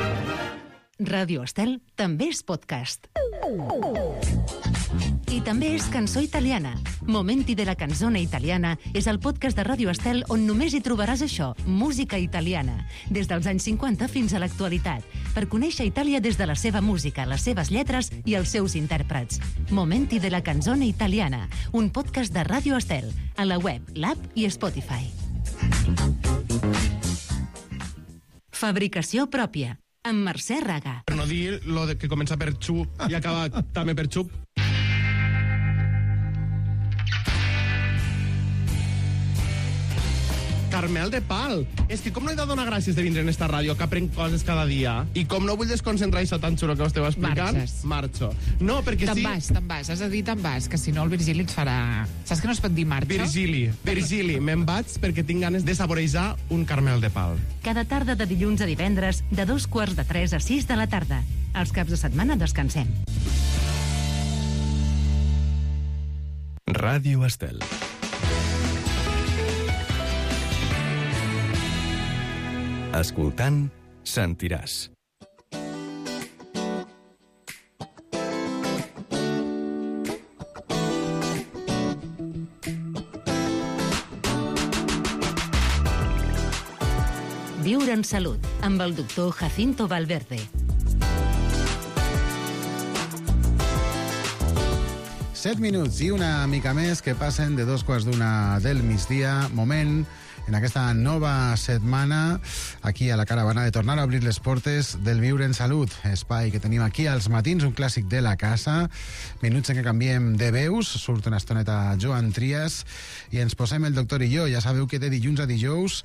Ràdio Estel també és podcast. I també és cançó italiana. Momenti de la canzone italiana és el podcast de Ràdio Estel on només hi trobaràs això, música italiana, des dels anys cinquanta fins a l'actualitat, per conèixer Itàlia des de la seva música, les seves lletres i els seus intèrprets. Momenti de la canzone italiana, un podcast de Ràdio Estel, a la web, l'app i Spotify. Fabricació pròpia, amb Mercè Raga. Per no dir lo de que comença per xu i acaba també per xup. Carmel de Pal. És que com no he de donar gràcies de vindre en esta ràdio, que aprenc coses cada dia, i com no vull desconcentrar això tan xulo que esteu explicant, Marxes. marxo. No, perquè te'n sí... Te'n vas, te'n vas, has de dir te'n vas, que si no el Virgili et farà... Saps que no es pot dir marxa? Virgili, Virgili, me'n vaig perquè tinc ganes de saborejar un Carmel de Pal. Cada tarda de dilluns a divendres, de dos quarts de tres a sis de la tarda. Els caps de setmana descansem. Ràdio Estel. Escoltant, sentiràs. Viure en salut, amb el doctor Jacinto Valverde. Set minuts i una mica més que passen de dos quarts d'una del migdia. Moment en aquesta nova setmana aquí a la caravana de tornar a obrir les portes del Viure en Salut, espai que tenim aquí als matins, un clàssic de la casa, minuts en què canviem de veus, surt una estoneta Joan Trias i ens posem el doctor i jo. Ja sabeu que de dilluns a dijous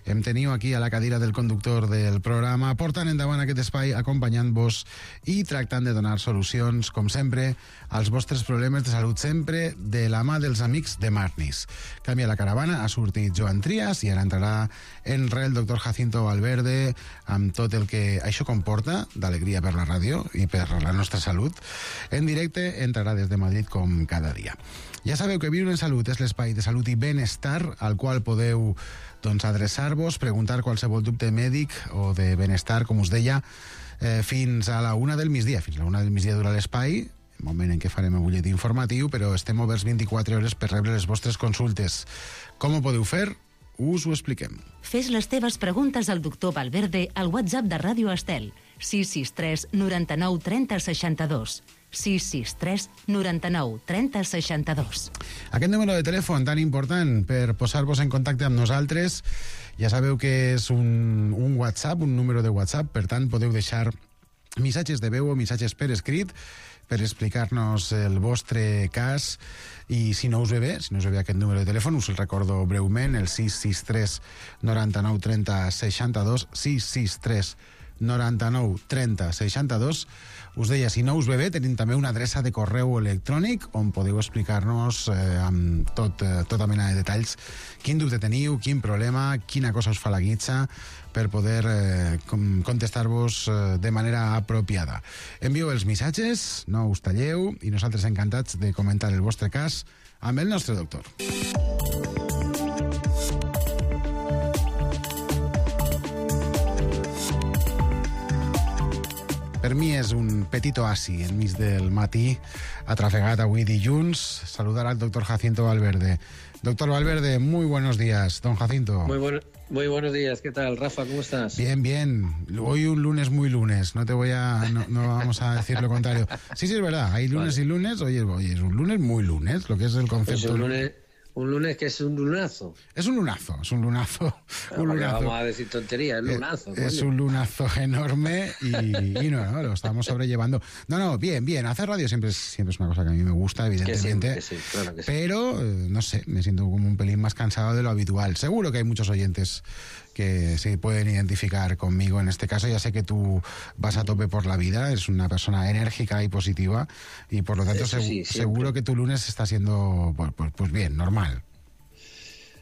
em teniu aquí a la cadira del conductor del programa, portant endavant aquest espai, acompanyant-vos i tractant de donar solucions, com sempre, als vostres problemes de salut, sempre de la mà dels amics de Marnis. Canvia la caravana, ha sortit Joan Trias i ara entrarà en re el doctor Jacinto Valverde amb tot el que això comporta d'alegria per la ràdio i per la nostra salut. En directe entrarà des de Madrid com cada dia. Ja sabeu que Viure en Salut és l'espai de salut i benestar al qual podeu doncs, adreçar-vos, preguntar qualsevol dubte mèdic o de benestar, com us deia, eh, fins a la una del migdia. Fins a la una del migdia dura l'espai, moment en què farem el butlletí informatiu, però estem oberts vint-i-quatre hores per rebre les vostres consultes. Com ho podeu fer? Us ho expliquem. Fes les teves preguntes al doctor Valverde al WhatsApp de Ràdio Estel, sis sis tres noranta-nou trenta seixanta-dos. sis sis tres noranta-nou trenta seixanta-dos. Aquest número de telèfon tan important per posar-vos en contacte amb nosaltres, ja sabeu que és un, un WhatsApp, un número de WhatsApp, per tant podeu deixar missatges de veu o missatges per escrit per explicar-nos el vostre cas, i si no us ve bé, si no us ve bé aquest número de telèfon, us el recordo breument, el sis sis tres noranta-nou trenta seixanta-dos, sis sis tres noranta-nou trenta seixanta-dos. Us deia, si no us ve bé, tenim també una adreça de correu electrònic on podeu explicar-nos eh, amb tot, eh, tota mena de detalls quin dubte teniu, quin problema, quina cosa us fa la guitza, per poder eh, contestar-vos eh, de manera apropiada. Envieu els missatges, no us talleu, i nosaltres encantats de comentar el vostre cas amb el nostre doctor. Per mi és un petit oasi enmig del matí, atrafegat avui dilluns, saludar al doctor Jacinto Valverde. Doctor Valverde, muy buenos días, don Jacinto. Muy, bueno, muy buenos días, ¿qué tal, Rafa? ¿Cómo estás? Bien, bien. Hoy un lunes muy lunes, no te voy a... no, no vamos a decir lo contrario. Sí, sí, es verdad, hay lunes vale. y lunes, oye, oye, es un lunes muy lunes, lo que es el concepto... Pues un lunes... Un lunes que es un lunazo. Es un lunazo, es un lunazo. Un no, lunazo. Vamos a decir tonterías, es lunazo. Es, es un lunazo enorme y, y no, no, lo estamos sobrellevando. No, no, bien, bien. Hacer radio siempre es, siempre es una cosa que a mí me gusta, evidentemente. Que sí, que sí, claro que sí. Pero, eh, no sé, me siento como un pelín más cansado de lo habitual. Seguro que hay muchos oyentes que se pueden identificar conmigo en este caso. Ya sé que tú vas a tope por la vida, eres una persona enérgica y positiva y por lo tanto Eso seg sí, seguro que tu lunes está siendo pues, pues, pues bien, normal.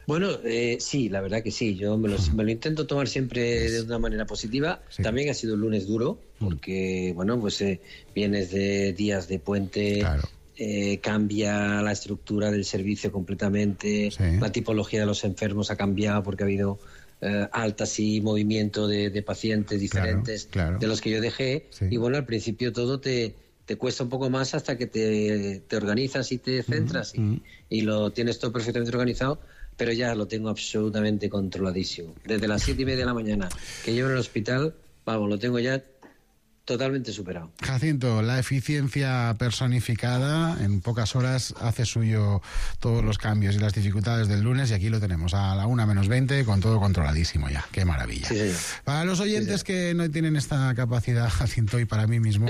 Bueno, eh, sí, la verdad que sí. Yo me lo, me lo intento tomar siempre de una manera positiva. Sí. También ha sido un lunes duro porque, bueno, pues eh, vienes de días de puente... Claro. Eh, cambia la estructura del servicio completamente, sí. La tipología de los enfermos ha cambiado porque ha habido eh, altas y movimiento de, de pacientes diferentes claro, claro. de los que yo dejé, sí. Y bueno, al principio todo te, te cuesta un poco más hasta que te, te organizas y te centras mm-hmm. y, y lo tienes todo perfectamente organizado, pero ya lo tengo absolutamente controladísimo. Desde las siete y media de la mañana que llevo en el hospital, vamos, lo tengo ya totalmente superado. Jacinto, la eficiencia personificada en pocas horas hace suyo todos los cambios y las dificultades del lunes y aquí lo tenemos a la una menos veinte con todo controladísimo ya. ¡Qué maravilla! Sí, señor. Para los oyentes sí, que no tienen esta capacidad, Jacinto, y para mí mismo,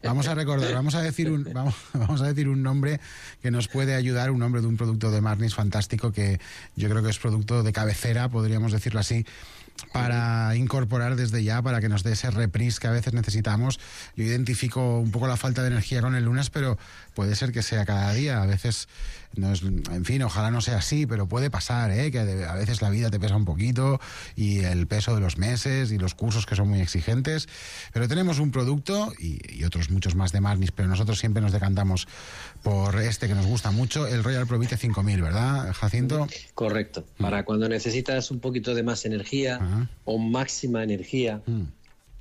vamos a recordar, vamos a decir un, vamos, vamos a decir un nombre que nos puede ayudar, un nombre de un producto de Marnis fantástico que yo creo que es producto de cabecera, podríamos decirlo así, para incorporar desde ya, para que nos dé ese reprise que a veces necesitamos. Yo identifico un poco la falta de energía con el lunes, pero puede ser que sea cada día. A veces, no es, en fin, ojalá no sea así, pero puede pasar, ¿eh? Que a veces la vida te pesa un poquito y el peso de los meses y los cursos que son muy exigentes. Pero tenemos un producto y, y otros muchos más de Marnis, pero nosotros siempre nos decantamos por este que nos gusta mucho, el Royal Provite cinco mil, ¿verdad, Jacinto? Correcto. Para cuando necesitas un poquito de más energía, ajá, o máxima energía, mm.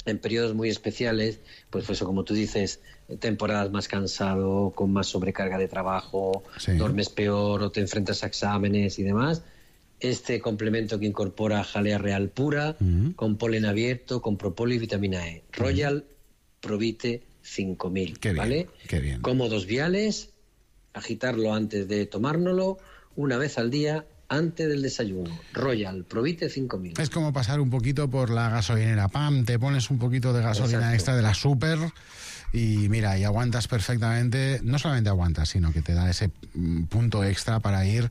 en periodos muy especiales, pues eso, como tú dices, temporadas más cansado, con más sobrecarga de trabajo, sí. duermes peor o te enfrentas a exámenes y demás, este complemento que incorpora jalea real pura, mm. con polen abierto, con propóleo y vitamina E. Royal mm. Provite cinco mil, qué bien, ¿vale? Qué bien. Cómodos viales, agitarlo antes de tomárnoslo, una vez al día, antes del desayuno. Royal Provite cinco mil. Es como pasar un poquito por la gasolinera. Pam, te pones un poquito de gasolina Exacto. extra de la Super y mira, y aguantas perfectamente. No solamente aguantas, sino que te da ese punto extra para ir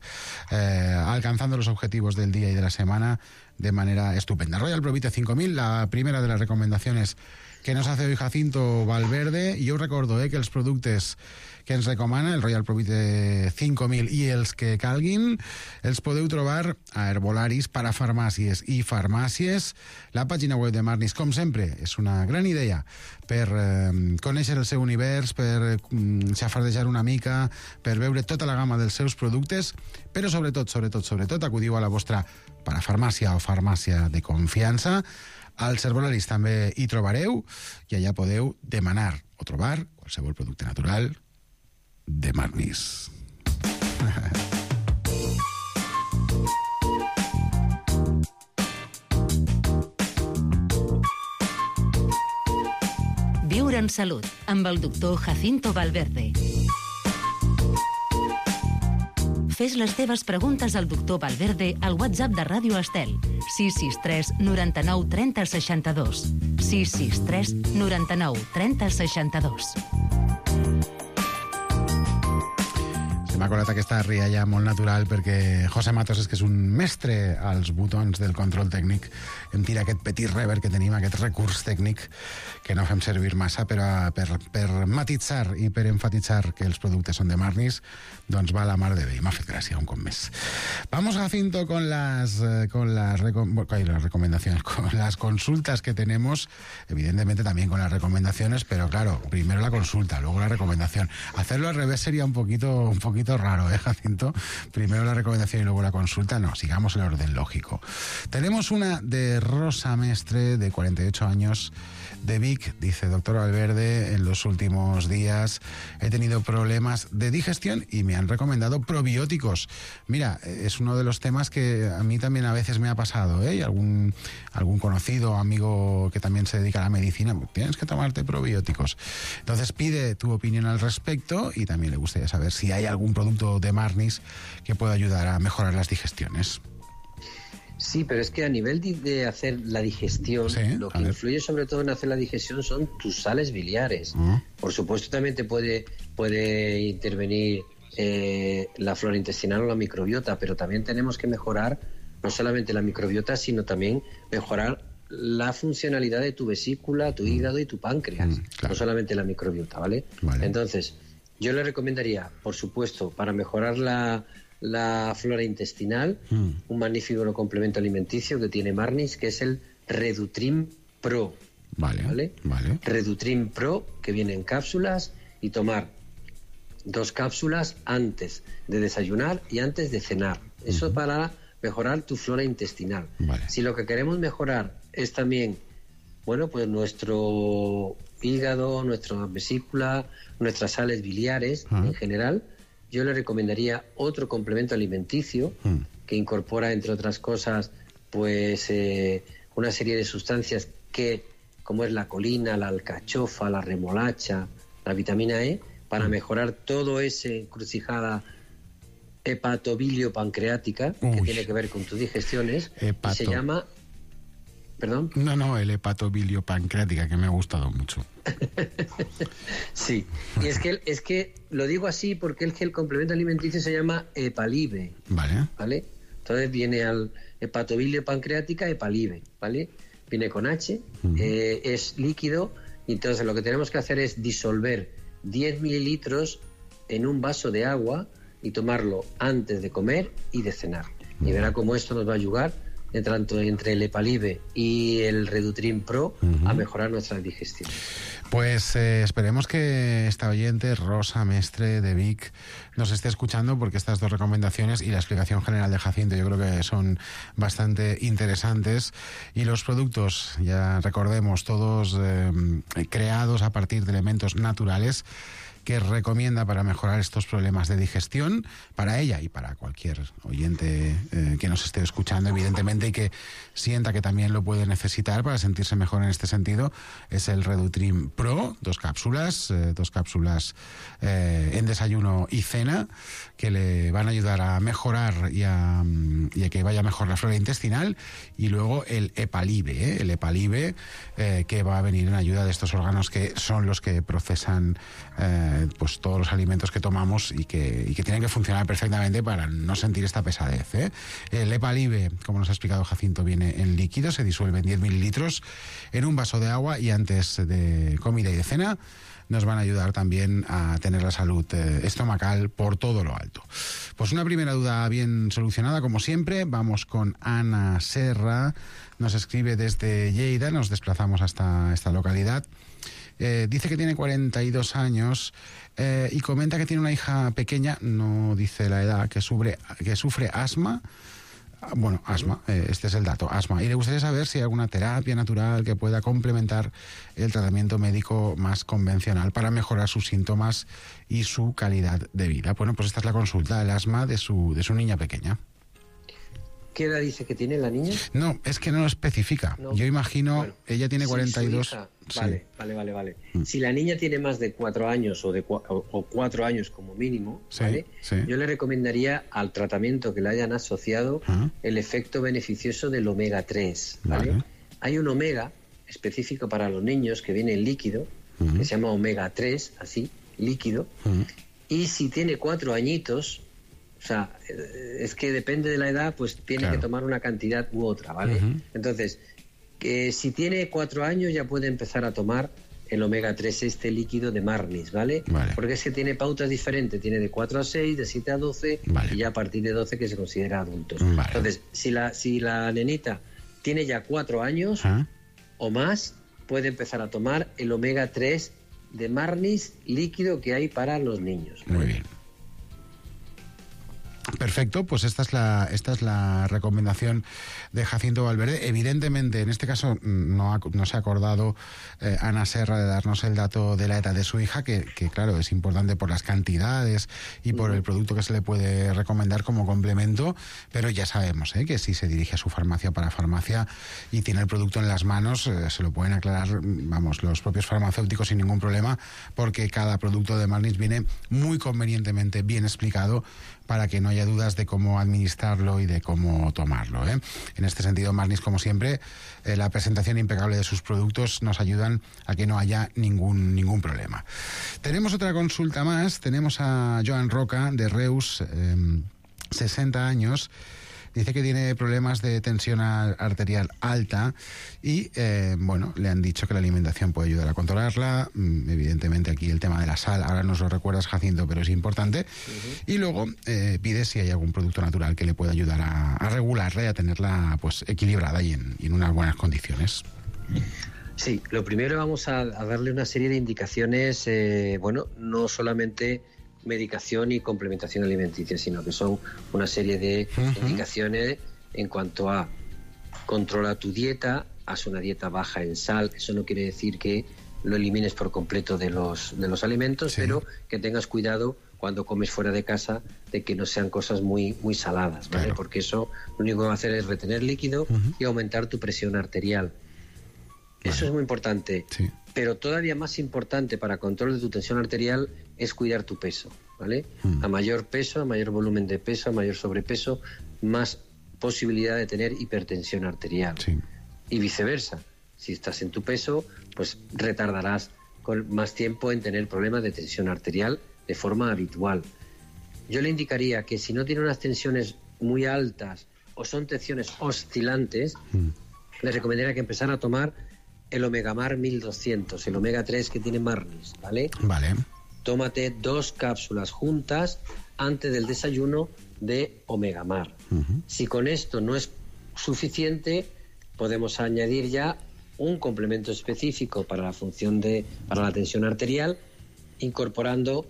eh, alcanzando los objetivos del día y de la semana de manera estupenda. Royal Provite cinco mil, la primera de las recomendaciones que nos hace hoy Jacinto Valverde. I jo us recordo eh, que els productes que ens recomana, el Royal Provite cinc mil i els que calguin, els podeu trobar a Herbolaris, Parafarmàcies i Farmàcies. La pàgina web de Marnis, com sempre, és una gran idea per eh, conèixer el seu univers, per mm, xafardejar una mica, per veure tota la gamma dels seus productes, però sobretot, sobretot, sobretot, acudiu a la vostra parafarmàcia o farmàcia de confiança. Als Herbolaris també hi trobareu i allà podeu demanar o trobar qualsevol producte natural de Marnis. Viure en salut amb el doctor Jacinto Valverde. Fes les teves preguntes al doctor Valverde al WhatsApp de Ràdio Estel sis sis tres noranta-nou trenta seixanta-dos sis sis tres noranta-nou trenta seixanta-dos. M'ha colat aquesta rialla molt natural perquè José Matos és que és un mestre als botons del control tècnic. Em tira aquest petit reverb que tenim, aquest recurs tècnic que no fem servir massa, però per, per matitzar i per enfatitzar que els productes són de Marnis, doncs va a la mar de bé. M'ha fet gràcia un cop més. Vamos, Jacinto, con las, con las, recom las recomendaciones, con las consultas que tenemos, evidentemente también con las recomendaciones, pero claro, primero la consulta, luego la recomendación. Hacerlo al revés sería un poquito, un poquito raro, ¿eh, Jacinto? Primero la recomendación y luego la consulta. No, sigamos el orden lógico. Tenemos una de Rosa Mestre, de cuarenta y ocho años, de Vic. Dice: doctor Valverde, en los últimos días he tenido problemas de digestión y me han recomendado probióticos. Mira, es uno de los temas que a mí también a veces me ha pasado, ¿eh? Y algún, algún conocido, amigo que también se dedica a la medicina, tienes que tomarte probióticos. Entonces pide tu opinión al respecto y también le gustaría saber si hay algún producto de Marnis que pueda ayudar a mejorar las digestiones. Sí, pero es que a nivel de, de hacer la digestión, sí, lo que influye sobre todo en hacer la digestión son tus sales biliares. Uh-huh. Por supuesto también te puede, puede intervenir eh, la flora intestinal o la microbiota, pero también tenemos que mejorar no solamente la microbiota, sino también mejorar la funcionalidad de tu vesícula, tu hígado y tu páncreas, mm, claro. No solamente la microbiota, ¿vale? Vale. Entonces, yo le recomendaría, por supuesto, para mejorar la, la flora intestinal, mm. un magnífico complemento alimenticio que tiene Marnis, que es el Redutrim Pro. Vale, ¿vale? vale. Redutrim Pro, que viene en cápsulas, y tomar dos cápsulas antes de desayunar y antes de cenar. Eso uh-huh. para mejorar tu flora intestinal. Vale. Si lo que queremos mejorar es también, bueno, pues nuestro hígado, nuestra vesícula, nuestras sales biliares uh-huh. en general, yo le recomendaría otro complemento alimenticio uh-huh. que incorpora, entre otras cosas, pues eh, una serie de sustancias que, como es la colina, la alcachofa, la remolacha, la vitamina E, para uh-huh. mejorar todo ese encrucijada hepatobilio-pancreática Uy. que tiene que ver con tus digestiones. Hepato. Y se llama... ¿Perdón? No, no, el hepatobilio-pancreática, que me ha gustado mucho. Sí, y es que, es que lo digo así porque el, el complemento alimenticio se llama Hepalive. Vale. ¿Vale? Entonces viene al hepatobilio-pancreática Hepalive, ¿vale? Viene con H, uh-huh. eh, es líquido, y entonces lo que tenemos que hacer es disolver diez mililitros en un vaso de agua y tomarlo antes de comer y de cenar. Uh-huh. Y verá cómo esto nos va a ayudar, tanto entre el Hepalive y el Redutrim Pro, uh-huh. a mejorar nuestra digestión. Pues eh, esperemos que esta oyente, Rosa Mestre de Vic, nos esté escuchando, porque estas dos recomendaciones y la explicación general de Jacinto yo creo que son bastante interesantes. Y los productos, ya recordemos, todos eh, creados a partir de elementos naturales, que recomienda para mejorar estos problemas de digestión, para ella y para cualquier oyente eh, que nos esté escuchando, evidentemente, y que sienta que también lo puede necesitar para sentirse mejor en este sentido, es el Redutrim Pro, dos cápsulas, eh, dos cápsulas eh, en desayuno y cena, que le van a ayudar a mejorar y a, y a que vaya mejor la flora intestinal, y luego el Hepalive, ¿eh? el Hepalive eh, que va a venir en ayuda de estos órganos que son los que procesan eh, pues todos los alimentos que tomamos y que, y que tienen que funcionar perfectamente para no sentir esta pesadez, ¿eh? El Hepalive, como nos ha explicado Jacinto, viene en líquido, se disuelve en diez mililitros en un vaso de agua, y antes de comida y de cena nos van a ayudar también a tener la salud eh, estomacal por todo lo alto. Pues una primera duda bien solucionada, como siempre. Vamos con Ana Serra, nos escribe desde Lleida, nos desplazamos hasta esta localidad. Eh, dice que tiene cuarenta y dos años eh, y comenta que tiene una hija pequeña, no dice la edad, que sufre, que sufre asma. Bueno, asma, eh, este es el dato, asma. Y le gustaría saber si hay alguna terapia natural que pueda complementar el tratamiento médico más convencional para mejorar sus síntomas y su calidad de vida. Bueno, pues esta es la consulta, el asma de su, de su niña pequeña. ¿Qué edad dice que tiene la niña? No, es que no lo especifica. No. Yo imagino, bueno, ella tiene cuarenta y dos. Si hija, sí. Vale, vale, vale, vale. Mm. Si la niña tiene más de cuatro años o de cua o, o cuatro años como mínimo, sí, ¿vale? Sí. Yo le recomendaría al tratamiento que le hayan asociado uh-huh. el efecto beneficioso del omega tres, ¿vale? Vale. Hay un omega específico para los niños que viene en líquido, uh-huh. que se llama omega tres, así, líquido, uh-huh. Y si tiene cuatro añitos, o sea, es que depende de la edad, pues tiene claro. que tomar una cantidad u otra, ¿vale? Uh-huh. Entonces, que si tiene cuatro años ya puede empezar a tomar el omega tres, este líquido de Marnis, ¿vale? ¿vale? Porque es que tiene pautas diferentes, tiene de cuatro a seis, de siete a doce, vale. y ya a partir de doce que se considera adultos. Vale. Entonces, si la, si la nenita tiene ya cuatro años ¿Ah? o más, puede empezar a tomar el omega tres de Marnis líquido que hay para los niños, ¿vale? Muy bien. Perfecto, pues esta es la esta es la recomendación de Jacinto Valverde. Evidentemente, en este caso no, ha, no se ha acordado eh, Ana Serra de darnos el dato de la edad de su hija, que, que claro, es importante por las cantidades y por el producto que se le puede recomendar como complemento, pero ya sabemos eh, que si se dirige a su farmacia para farmacia y tiene el producto en las manos, eh, se lo pueden aclarar, vamos, los propios farmacéuticos sin ningún problema, porque cada producto de Marnis viene muy convenientemente bien explicado para que no haya dudas de cómo administrarlo y de cómo tomarlo, ¿eh? En este sentido, Marnis, como siempre, eh, la presentación impecable de sus productos nos ayudan a que no haya ningún, ningún problema. Tenemos otra consulta más, tenemos a Joan Roca, de Reus, eh, sesenta años, dice que tiene problemas de tensión arterial alta y, eh, bueno, le han dicho que la alimentación puede ayudar a controlarla. Evidentemente aquí el tema de la sal, ahora nos lo recuerdas, Jacinto, pero es importante. Uh-huh. Y luego eh, pide si hay algún producto natural que le pueda ayudar a, a regularla y a tenerla pues equilibrada y en, y en unas buenas condiciones. Sí, lo primero vamos a, a darle una serie de indicaciones, eh, bueno, no solamente medicación y complementación alimenticia, sino que son una serie de uh-huh. indicaciones en cuanto a controla tu dieta, haz una dieta baja en sal. Eso no quiere decir que lo elimines por completo de los, de los alimentos, sí. pero que tengas cuidado cuando comes fuera de casa de que no sean cosas muy, muy saladas, ¿vale? Claro. Porque eso lo único que va a hacer es retener líquido uh-huh. y aumentar tu presión arterial. Vale. Eso es muy importante. Sí. Pero todavía más importante para control de tu tensión arterial es cuidar tu peso, ¿vale? Mm. A mayor peso, a mayor volumen de peso, a mayor sobrepeso, más posibilidad de tener hipertensión arterial. Sí. Y viceversa. Si estás en tu peso, pues retardarás con más tiempo en tener problemas de tensión arterial de forma habitual. Yo le indicaría que si no tiene unas tensiones muy altas o son tensiones oscilantes, mm. le recomendaría que empezara a tomar el Omegamar mil doscientos, el omega tres que tiene Marnis, ¿vale? Vale. Tómate dos cápsulas juntas antes del desayuno de Omegamar. Uh-huh. Si con esto no es suficiente, podemos añadir ya un complemento específico para la función de, para la tensión arterial, incorporando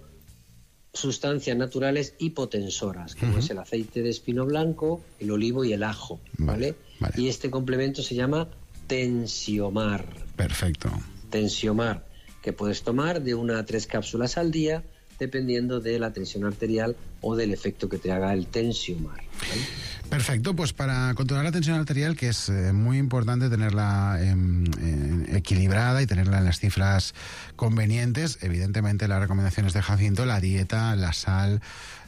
sustancias naturales hipotensoras, como uh-huh. es el aceite de espino blanco, el olivo y el ajo, ¿vale? Vale. Y este complemento se llama Tensiomar. Perfecto. Tensiomar, que puedes tomar de una a tres cápsulas al día, dependiendo de la tensión arterial o del efecto que te haga el Tensiomar, ¿vale? Perfecto, pues para controlar la tensión arterial, que es eh, muy importante tenerla eh, eh, equilibrada y tenerla en las cifras convenientes, evidentemente las recomendaciones de Jacinto, la dieta, la sal,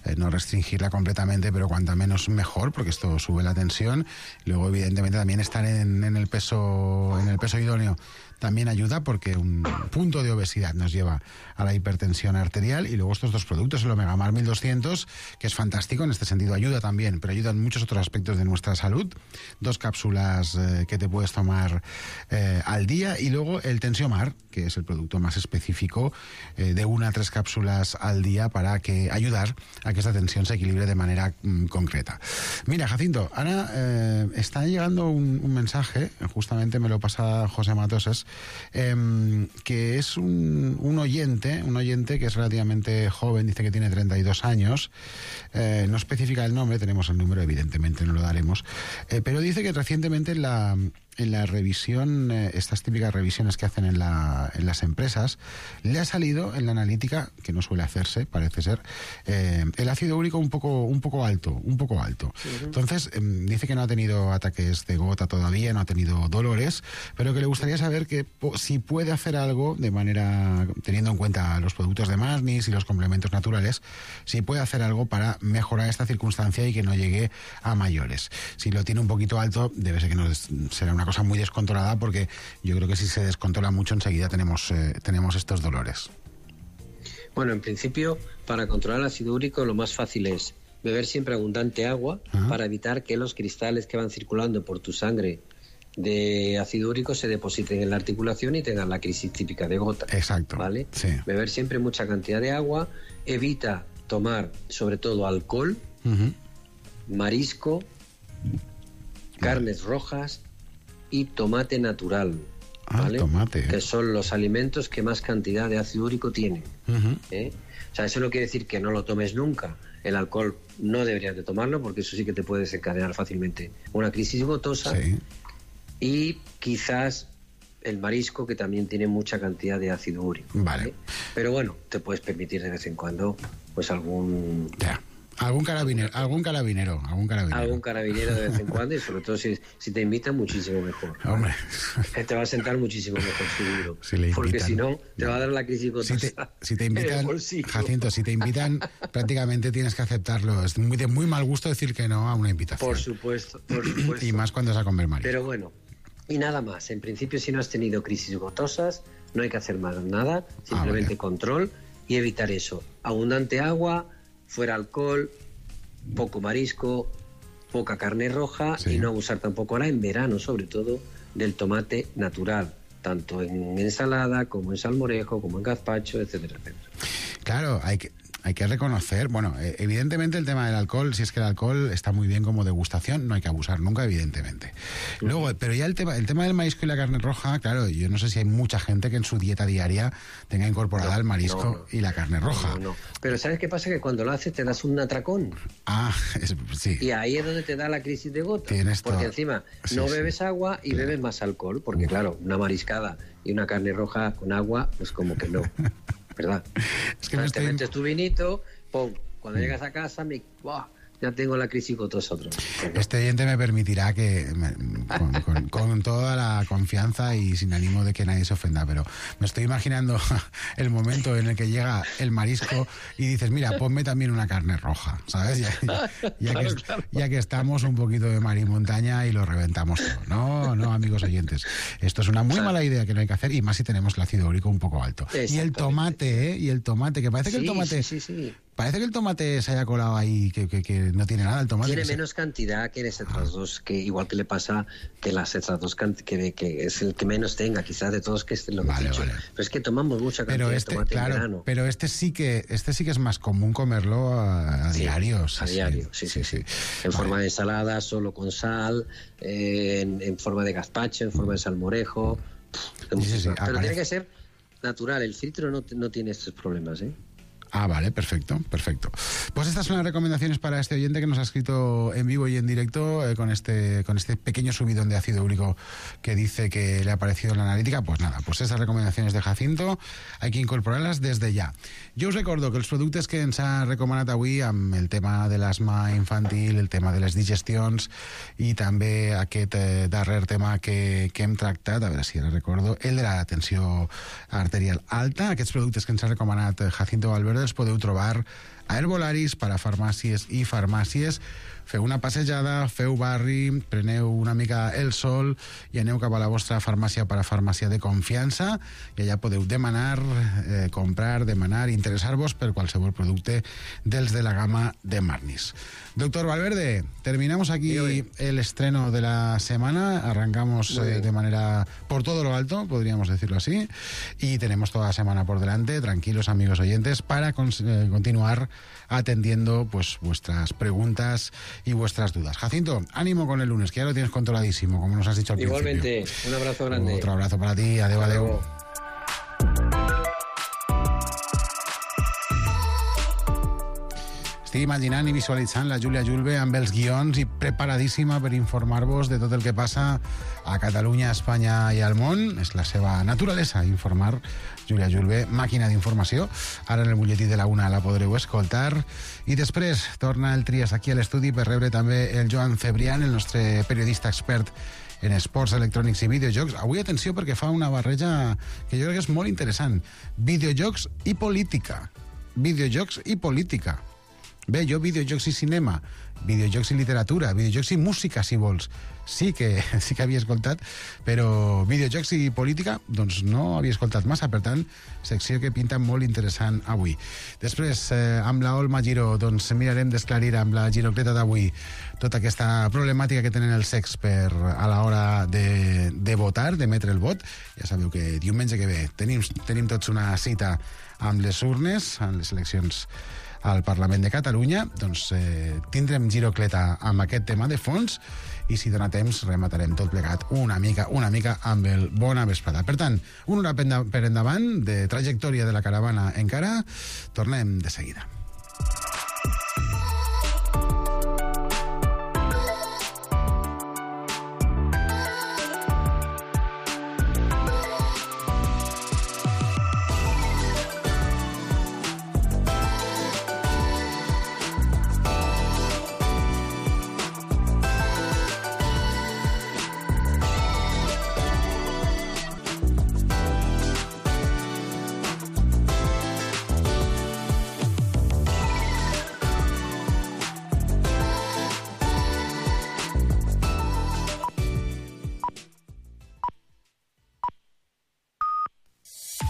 eh, no restringirla completamente, pero cuanta menos mejor, porque esto sube la tensión. Luego, evidentemente, también estar en, en el peso, en el peso idóneo también ayuda, porque un punto de obesidad nos lleva a la hipertensión arterial. Y luego estos dos productos, el Omegamar mil doscientos, que es fantástico, en este sentido ayuda también, pero ayuda en muchos otros aspectos de nuestra salud. Dos cápsulas eh, que te puedes tomar eh, al día. Y luego el Tensiomar, que es el producto más específico, eh, de una a tres cápsulas al día para que ayudar a que esta tensión se equilibre de manera mm, concreta. Mira, Jacinto, ahora eh, está llegando un, un mensaje, justamente me lo pasa José Matoses, eh, que es un, un oyente, un oyente que es relativamente joven, dice que tiene treinta y dos años, eh, no especifica el nombre, tenemos el número, evidentemente no lo daremos, eh, pero dice que recientemente en la, en la revisión, eh, estas típicas revisiones que hacen en, la, en las empresas, le ha salido en la analítica, que no suele hacerse, parece ser, eh, el ácido úrico un poco, un poco alto, un poco alto. Uh-huh. Entonces, eh, dice que no ha tenido ataques de gota todavía, no ha tenido dolores, pero que le gustaría saber que po- si puede hacer algo de manera, teniendo en cuenta los productos de Marnis y los complementos naturales, si puede hacer algo para mejorar esta circunstancia y que no llegue a mayores. Si lo tiene un poquito alto, debe ser que no es, será una cosa muy descontrolada, porque yo creo que si se descontrola mucho enseguida tenemos, eh, tenemos estos dolores. Bueno, en principio, para controlar el ácido úrico lo más fácil es beber siempre abundante agua uh-huh. para evitar que los cristales que van circulando por tu sangre de ácido úrico se depositen en la articulación y tengan la crisis típica de gota. Exacto. ¿Vale? Sí. Beber siempre mucha cantidad de agua, evita tomar sobre todo alcohol, uh-huh. marisco, carnes rojas y tomate natural. ¿Vale? Ah, tomate. Que son los alimentos que más cantidad de ácido úrico tienen. Uh-huh. ¿Eh? O sea, eso no quiere decir que no lo tomes nunca. El alcohol no deberías de tomarlo porque eso sí que te puede desencadenar fácilmente una crisis gotosa. Sí. Y quizás el marisco, que también tiene mucha cantidad de ácido úrico. Vale. ¿eh? Pero bueno, te puedes permitir de vez en cuando pues algún... Ya. Algún carabinero, algún carabinero, algún carabinero. Algún carabinero de vez en cuando y sobre todo si, si te invitan, muchísimo mejor. Hombre. ¿Vale? Te va a sentar muchísimo mejor, seguro. Si le invitan, porque si no, te va a dar la crisis gotosa. Si te, si te invitan, Jacinto, si te invitan, prácticamente tienes que aceptarlo. Es muy de muy mal gusto decir que no a una invitación. Por supuesto, por supuesto. Y más cuando es a comer marisco. Pero bueno, y nada más. En principio, si no has tenido crisis gotosas, no hay que hacer más nada. Simplemente ah, control y evitar eso. Abundante agua, fuera alcohol, poco marisco, poca carne roja sí. y no abusar tampoco ahora en verano, sobre todo, del tomate natural, tanto en ensalada como en salmorejo, como en gazpacho, etcétera, etcétera. Claro, hay que... Hay que reconocer, bueno, evidentemente el tema del alcohol, si es que el alcohol está muy bien como degustación, no hay que abusar nunca, evidentemente. Luego, pero ya el tema, el tema del marisco y la carne roja, claro, yo no sé si hay mucha gente que en su dieta diaria tenga incorporada no, el marisco no, no. y la carne roja. No, no, pero ¿sabes qué pasa? Que cuando lo haces te das un atracón. Ah, es, sí. Y ahí es donde te da la crisis de gota. Tienes porque todo. encima sí, no sí. bebes agua y sí. bebes más alcohol, porque claro, una mariscada y una carne roja con agua, pues como que no, ¿verdad? Es que o sea, me te estoy... metes tu vinito... Pum. Cuando llegas a casa, me, ¡buah! ya tengo la crisis gotosa otra vez. Este oyente me permitirá que, me, con, con, con toda la confianza y sin ánimo de que nadie se ofenda, pero me estoy imaginando el momento en el que llega el marisco y dices, mira, ponme también una carne roja, ¿sabes? Ya, ya, ya, claro, que, claro. ya que estamos un poquito de mar y montaña y lo reventamos todo. No, no, amigos oyentes. Esto es una muy mala idea que no hay que hacer, y más si tenemos el ácido úrico un poco alto. Y el tomate, ¿eh? Y el tomate, que parece que el tomate... Sí, sí, sí. Parece que el tomate se haya colado ahí, que, que, que no tiene nada el tomate. Tiene que menos se... cantidad que las otras dos, que igual que le pasa que las otras dos, que, que es el que menos tenga, quizás de todos, que es lo que vale, he dicho. Vale. Pero es que tomamos mucha cantidad pero este, de tomate claro, en verano. Pero este sí que este sí que es más común comerlo a, a sí, diario. Sí, a diario, sí, sí, sí. sí. En vale. forma de ensalada, solo con sal, eh, en, en forma de gazpacho, en forma de salmorejo. Sí, sí, sí. Pero Aparece. tiene que ser natural. El filtro no, no tiene estos problemas, ¿eh? Ah, vale, perfecto, perfecto. Pues estas son las recomendaciones para este oyente que nos ha escrito en vivo y en directo eh, con este con este pequeño subidón de ácido úrico que dice que le ha aparecido en la analítica. Pues nada, pues esas recomendaciones de Jacinto hay que incorporarlas desde ya. Jo us recordo que els productes que ens ha recomanat avui amb el tema de l'asma infantil, el tema de les digestions i també aquest eh, darrer tema que, que hem tractat, a veure si ara recordo, el de la tensió arterial alta, aquests productes que ens ha recomanat Jacinto Valverde els podeu trobar a Herbolaris, per a farmàcies i farmàcies. Feu una passejada, feu barri, preneu una mica el sol i aneu cap a la vostra farmàcia per a farmàcia de confiança i allà podeu demanar, eh, comprar, demanar, interessar-vos per qualsevol producte dels de la gamma de Marnis. Doctor Valverde, terminamos aquí el estreno de la semana, arrancamos eh, de manera por todo lo alto, podríamos decirlo así, y tenemos toda la semana por delante, tranquilos amigos oyentes, para con, eh, continuar atendiendo pues vuestras preguntas y vuestras dudas. Jacinto, ánimo con el lunes, que ya lo tienes controladísimo, como nos has dicho al Igualmente, principio. un abrazo grande. Otro abrazo para ti, adeu, adeu. Estic imaginant i visualitzant la Júlia Julve amb els guions i preparadíssima per informar-vos de tot el que passa a Catalunya, a Espanya i al món. És la seva naturalesa, informar. Júlia Julve, màquina d'informació. Ara en el butlletí de la una la podreu escoltar. I després torna el Trias aquí a l'estudi per rebre també el Joan Cebrián, el nostre periodista expert en esports electrònics i videojocs. Avui atenció perquè fa una barreja que jo crec que és molt interessant. Videojocs i política. Videojocs i política. Bé, jo videojocs i cinema, videojocs i literatura, videojocs i música, si vols. Sí que, sí que havia escoltat, però videojocs i política, doncs no havia escoltat massa, per tant, secció que pinta molt interessant avui. Després, eh, amb la Olma Giró, doncs mirarem d'esclarir amb la girocleta d'avui tota aquesta problemàtica que tenen els secs per a l'hora de, de votar, d'emetre el vot. Ja sabeu que diumenge que ve tenim, tenim tots una cita amb les urnes, amb les eleccions al Parlament de Catalunya, doncs eh, tindrem girocleta amb aquest tema de fons i si dona temps rematarem tot plegat una mica, una mica amb el Bona Vesprada. Per tant, una hora per endavant de trajectòria de la caravana encara, tornem de seguida.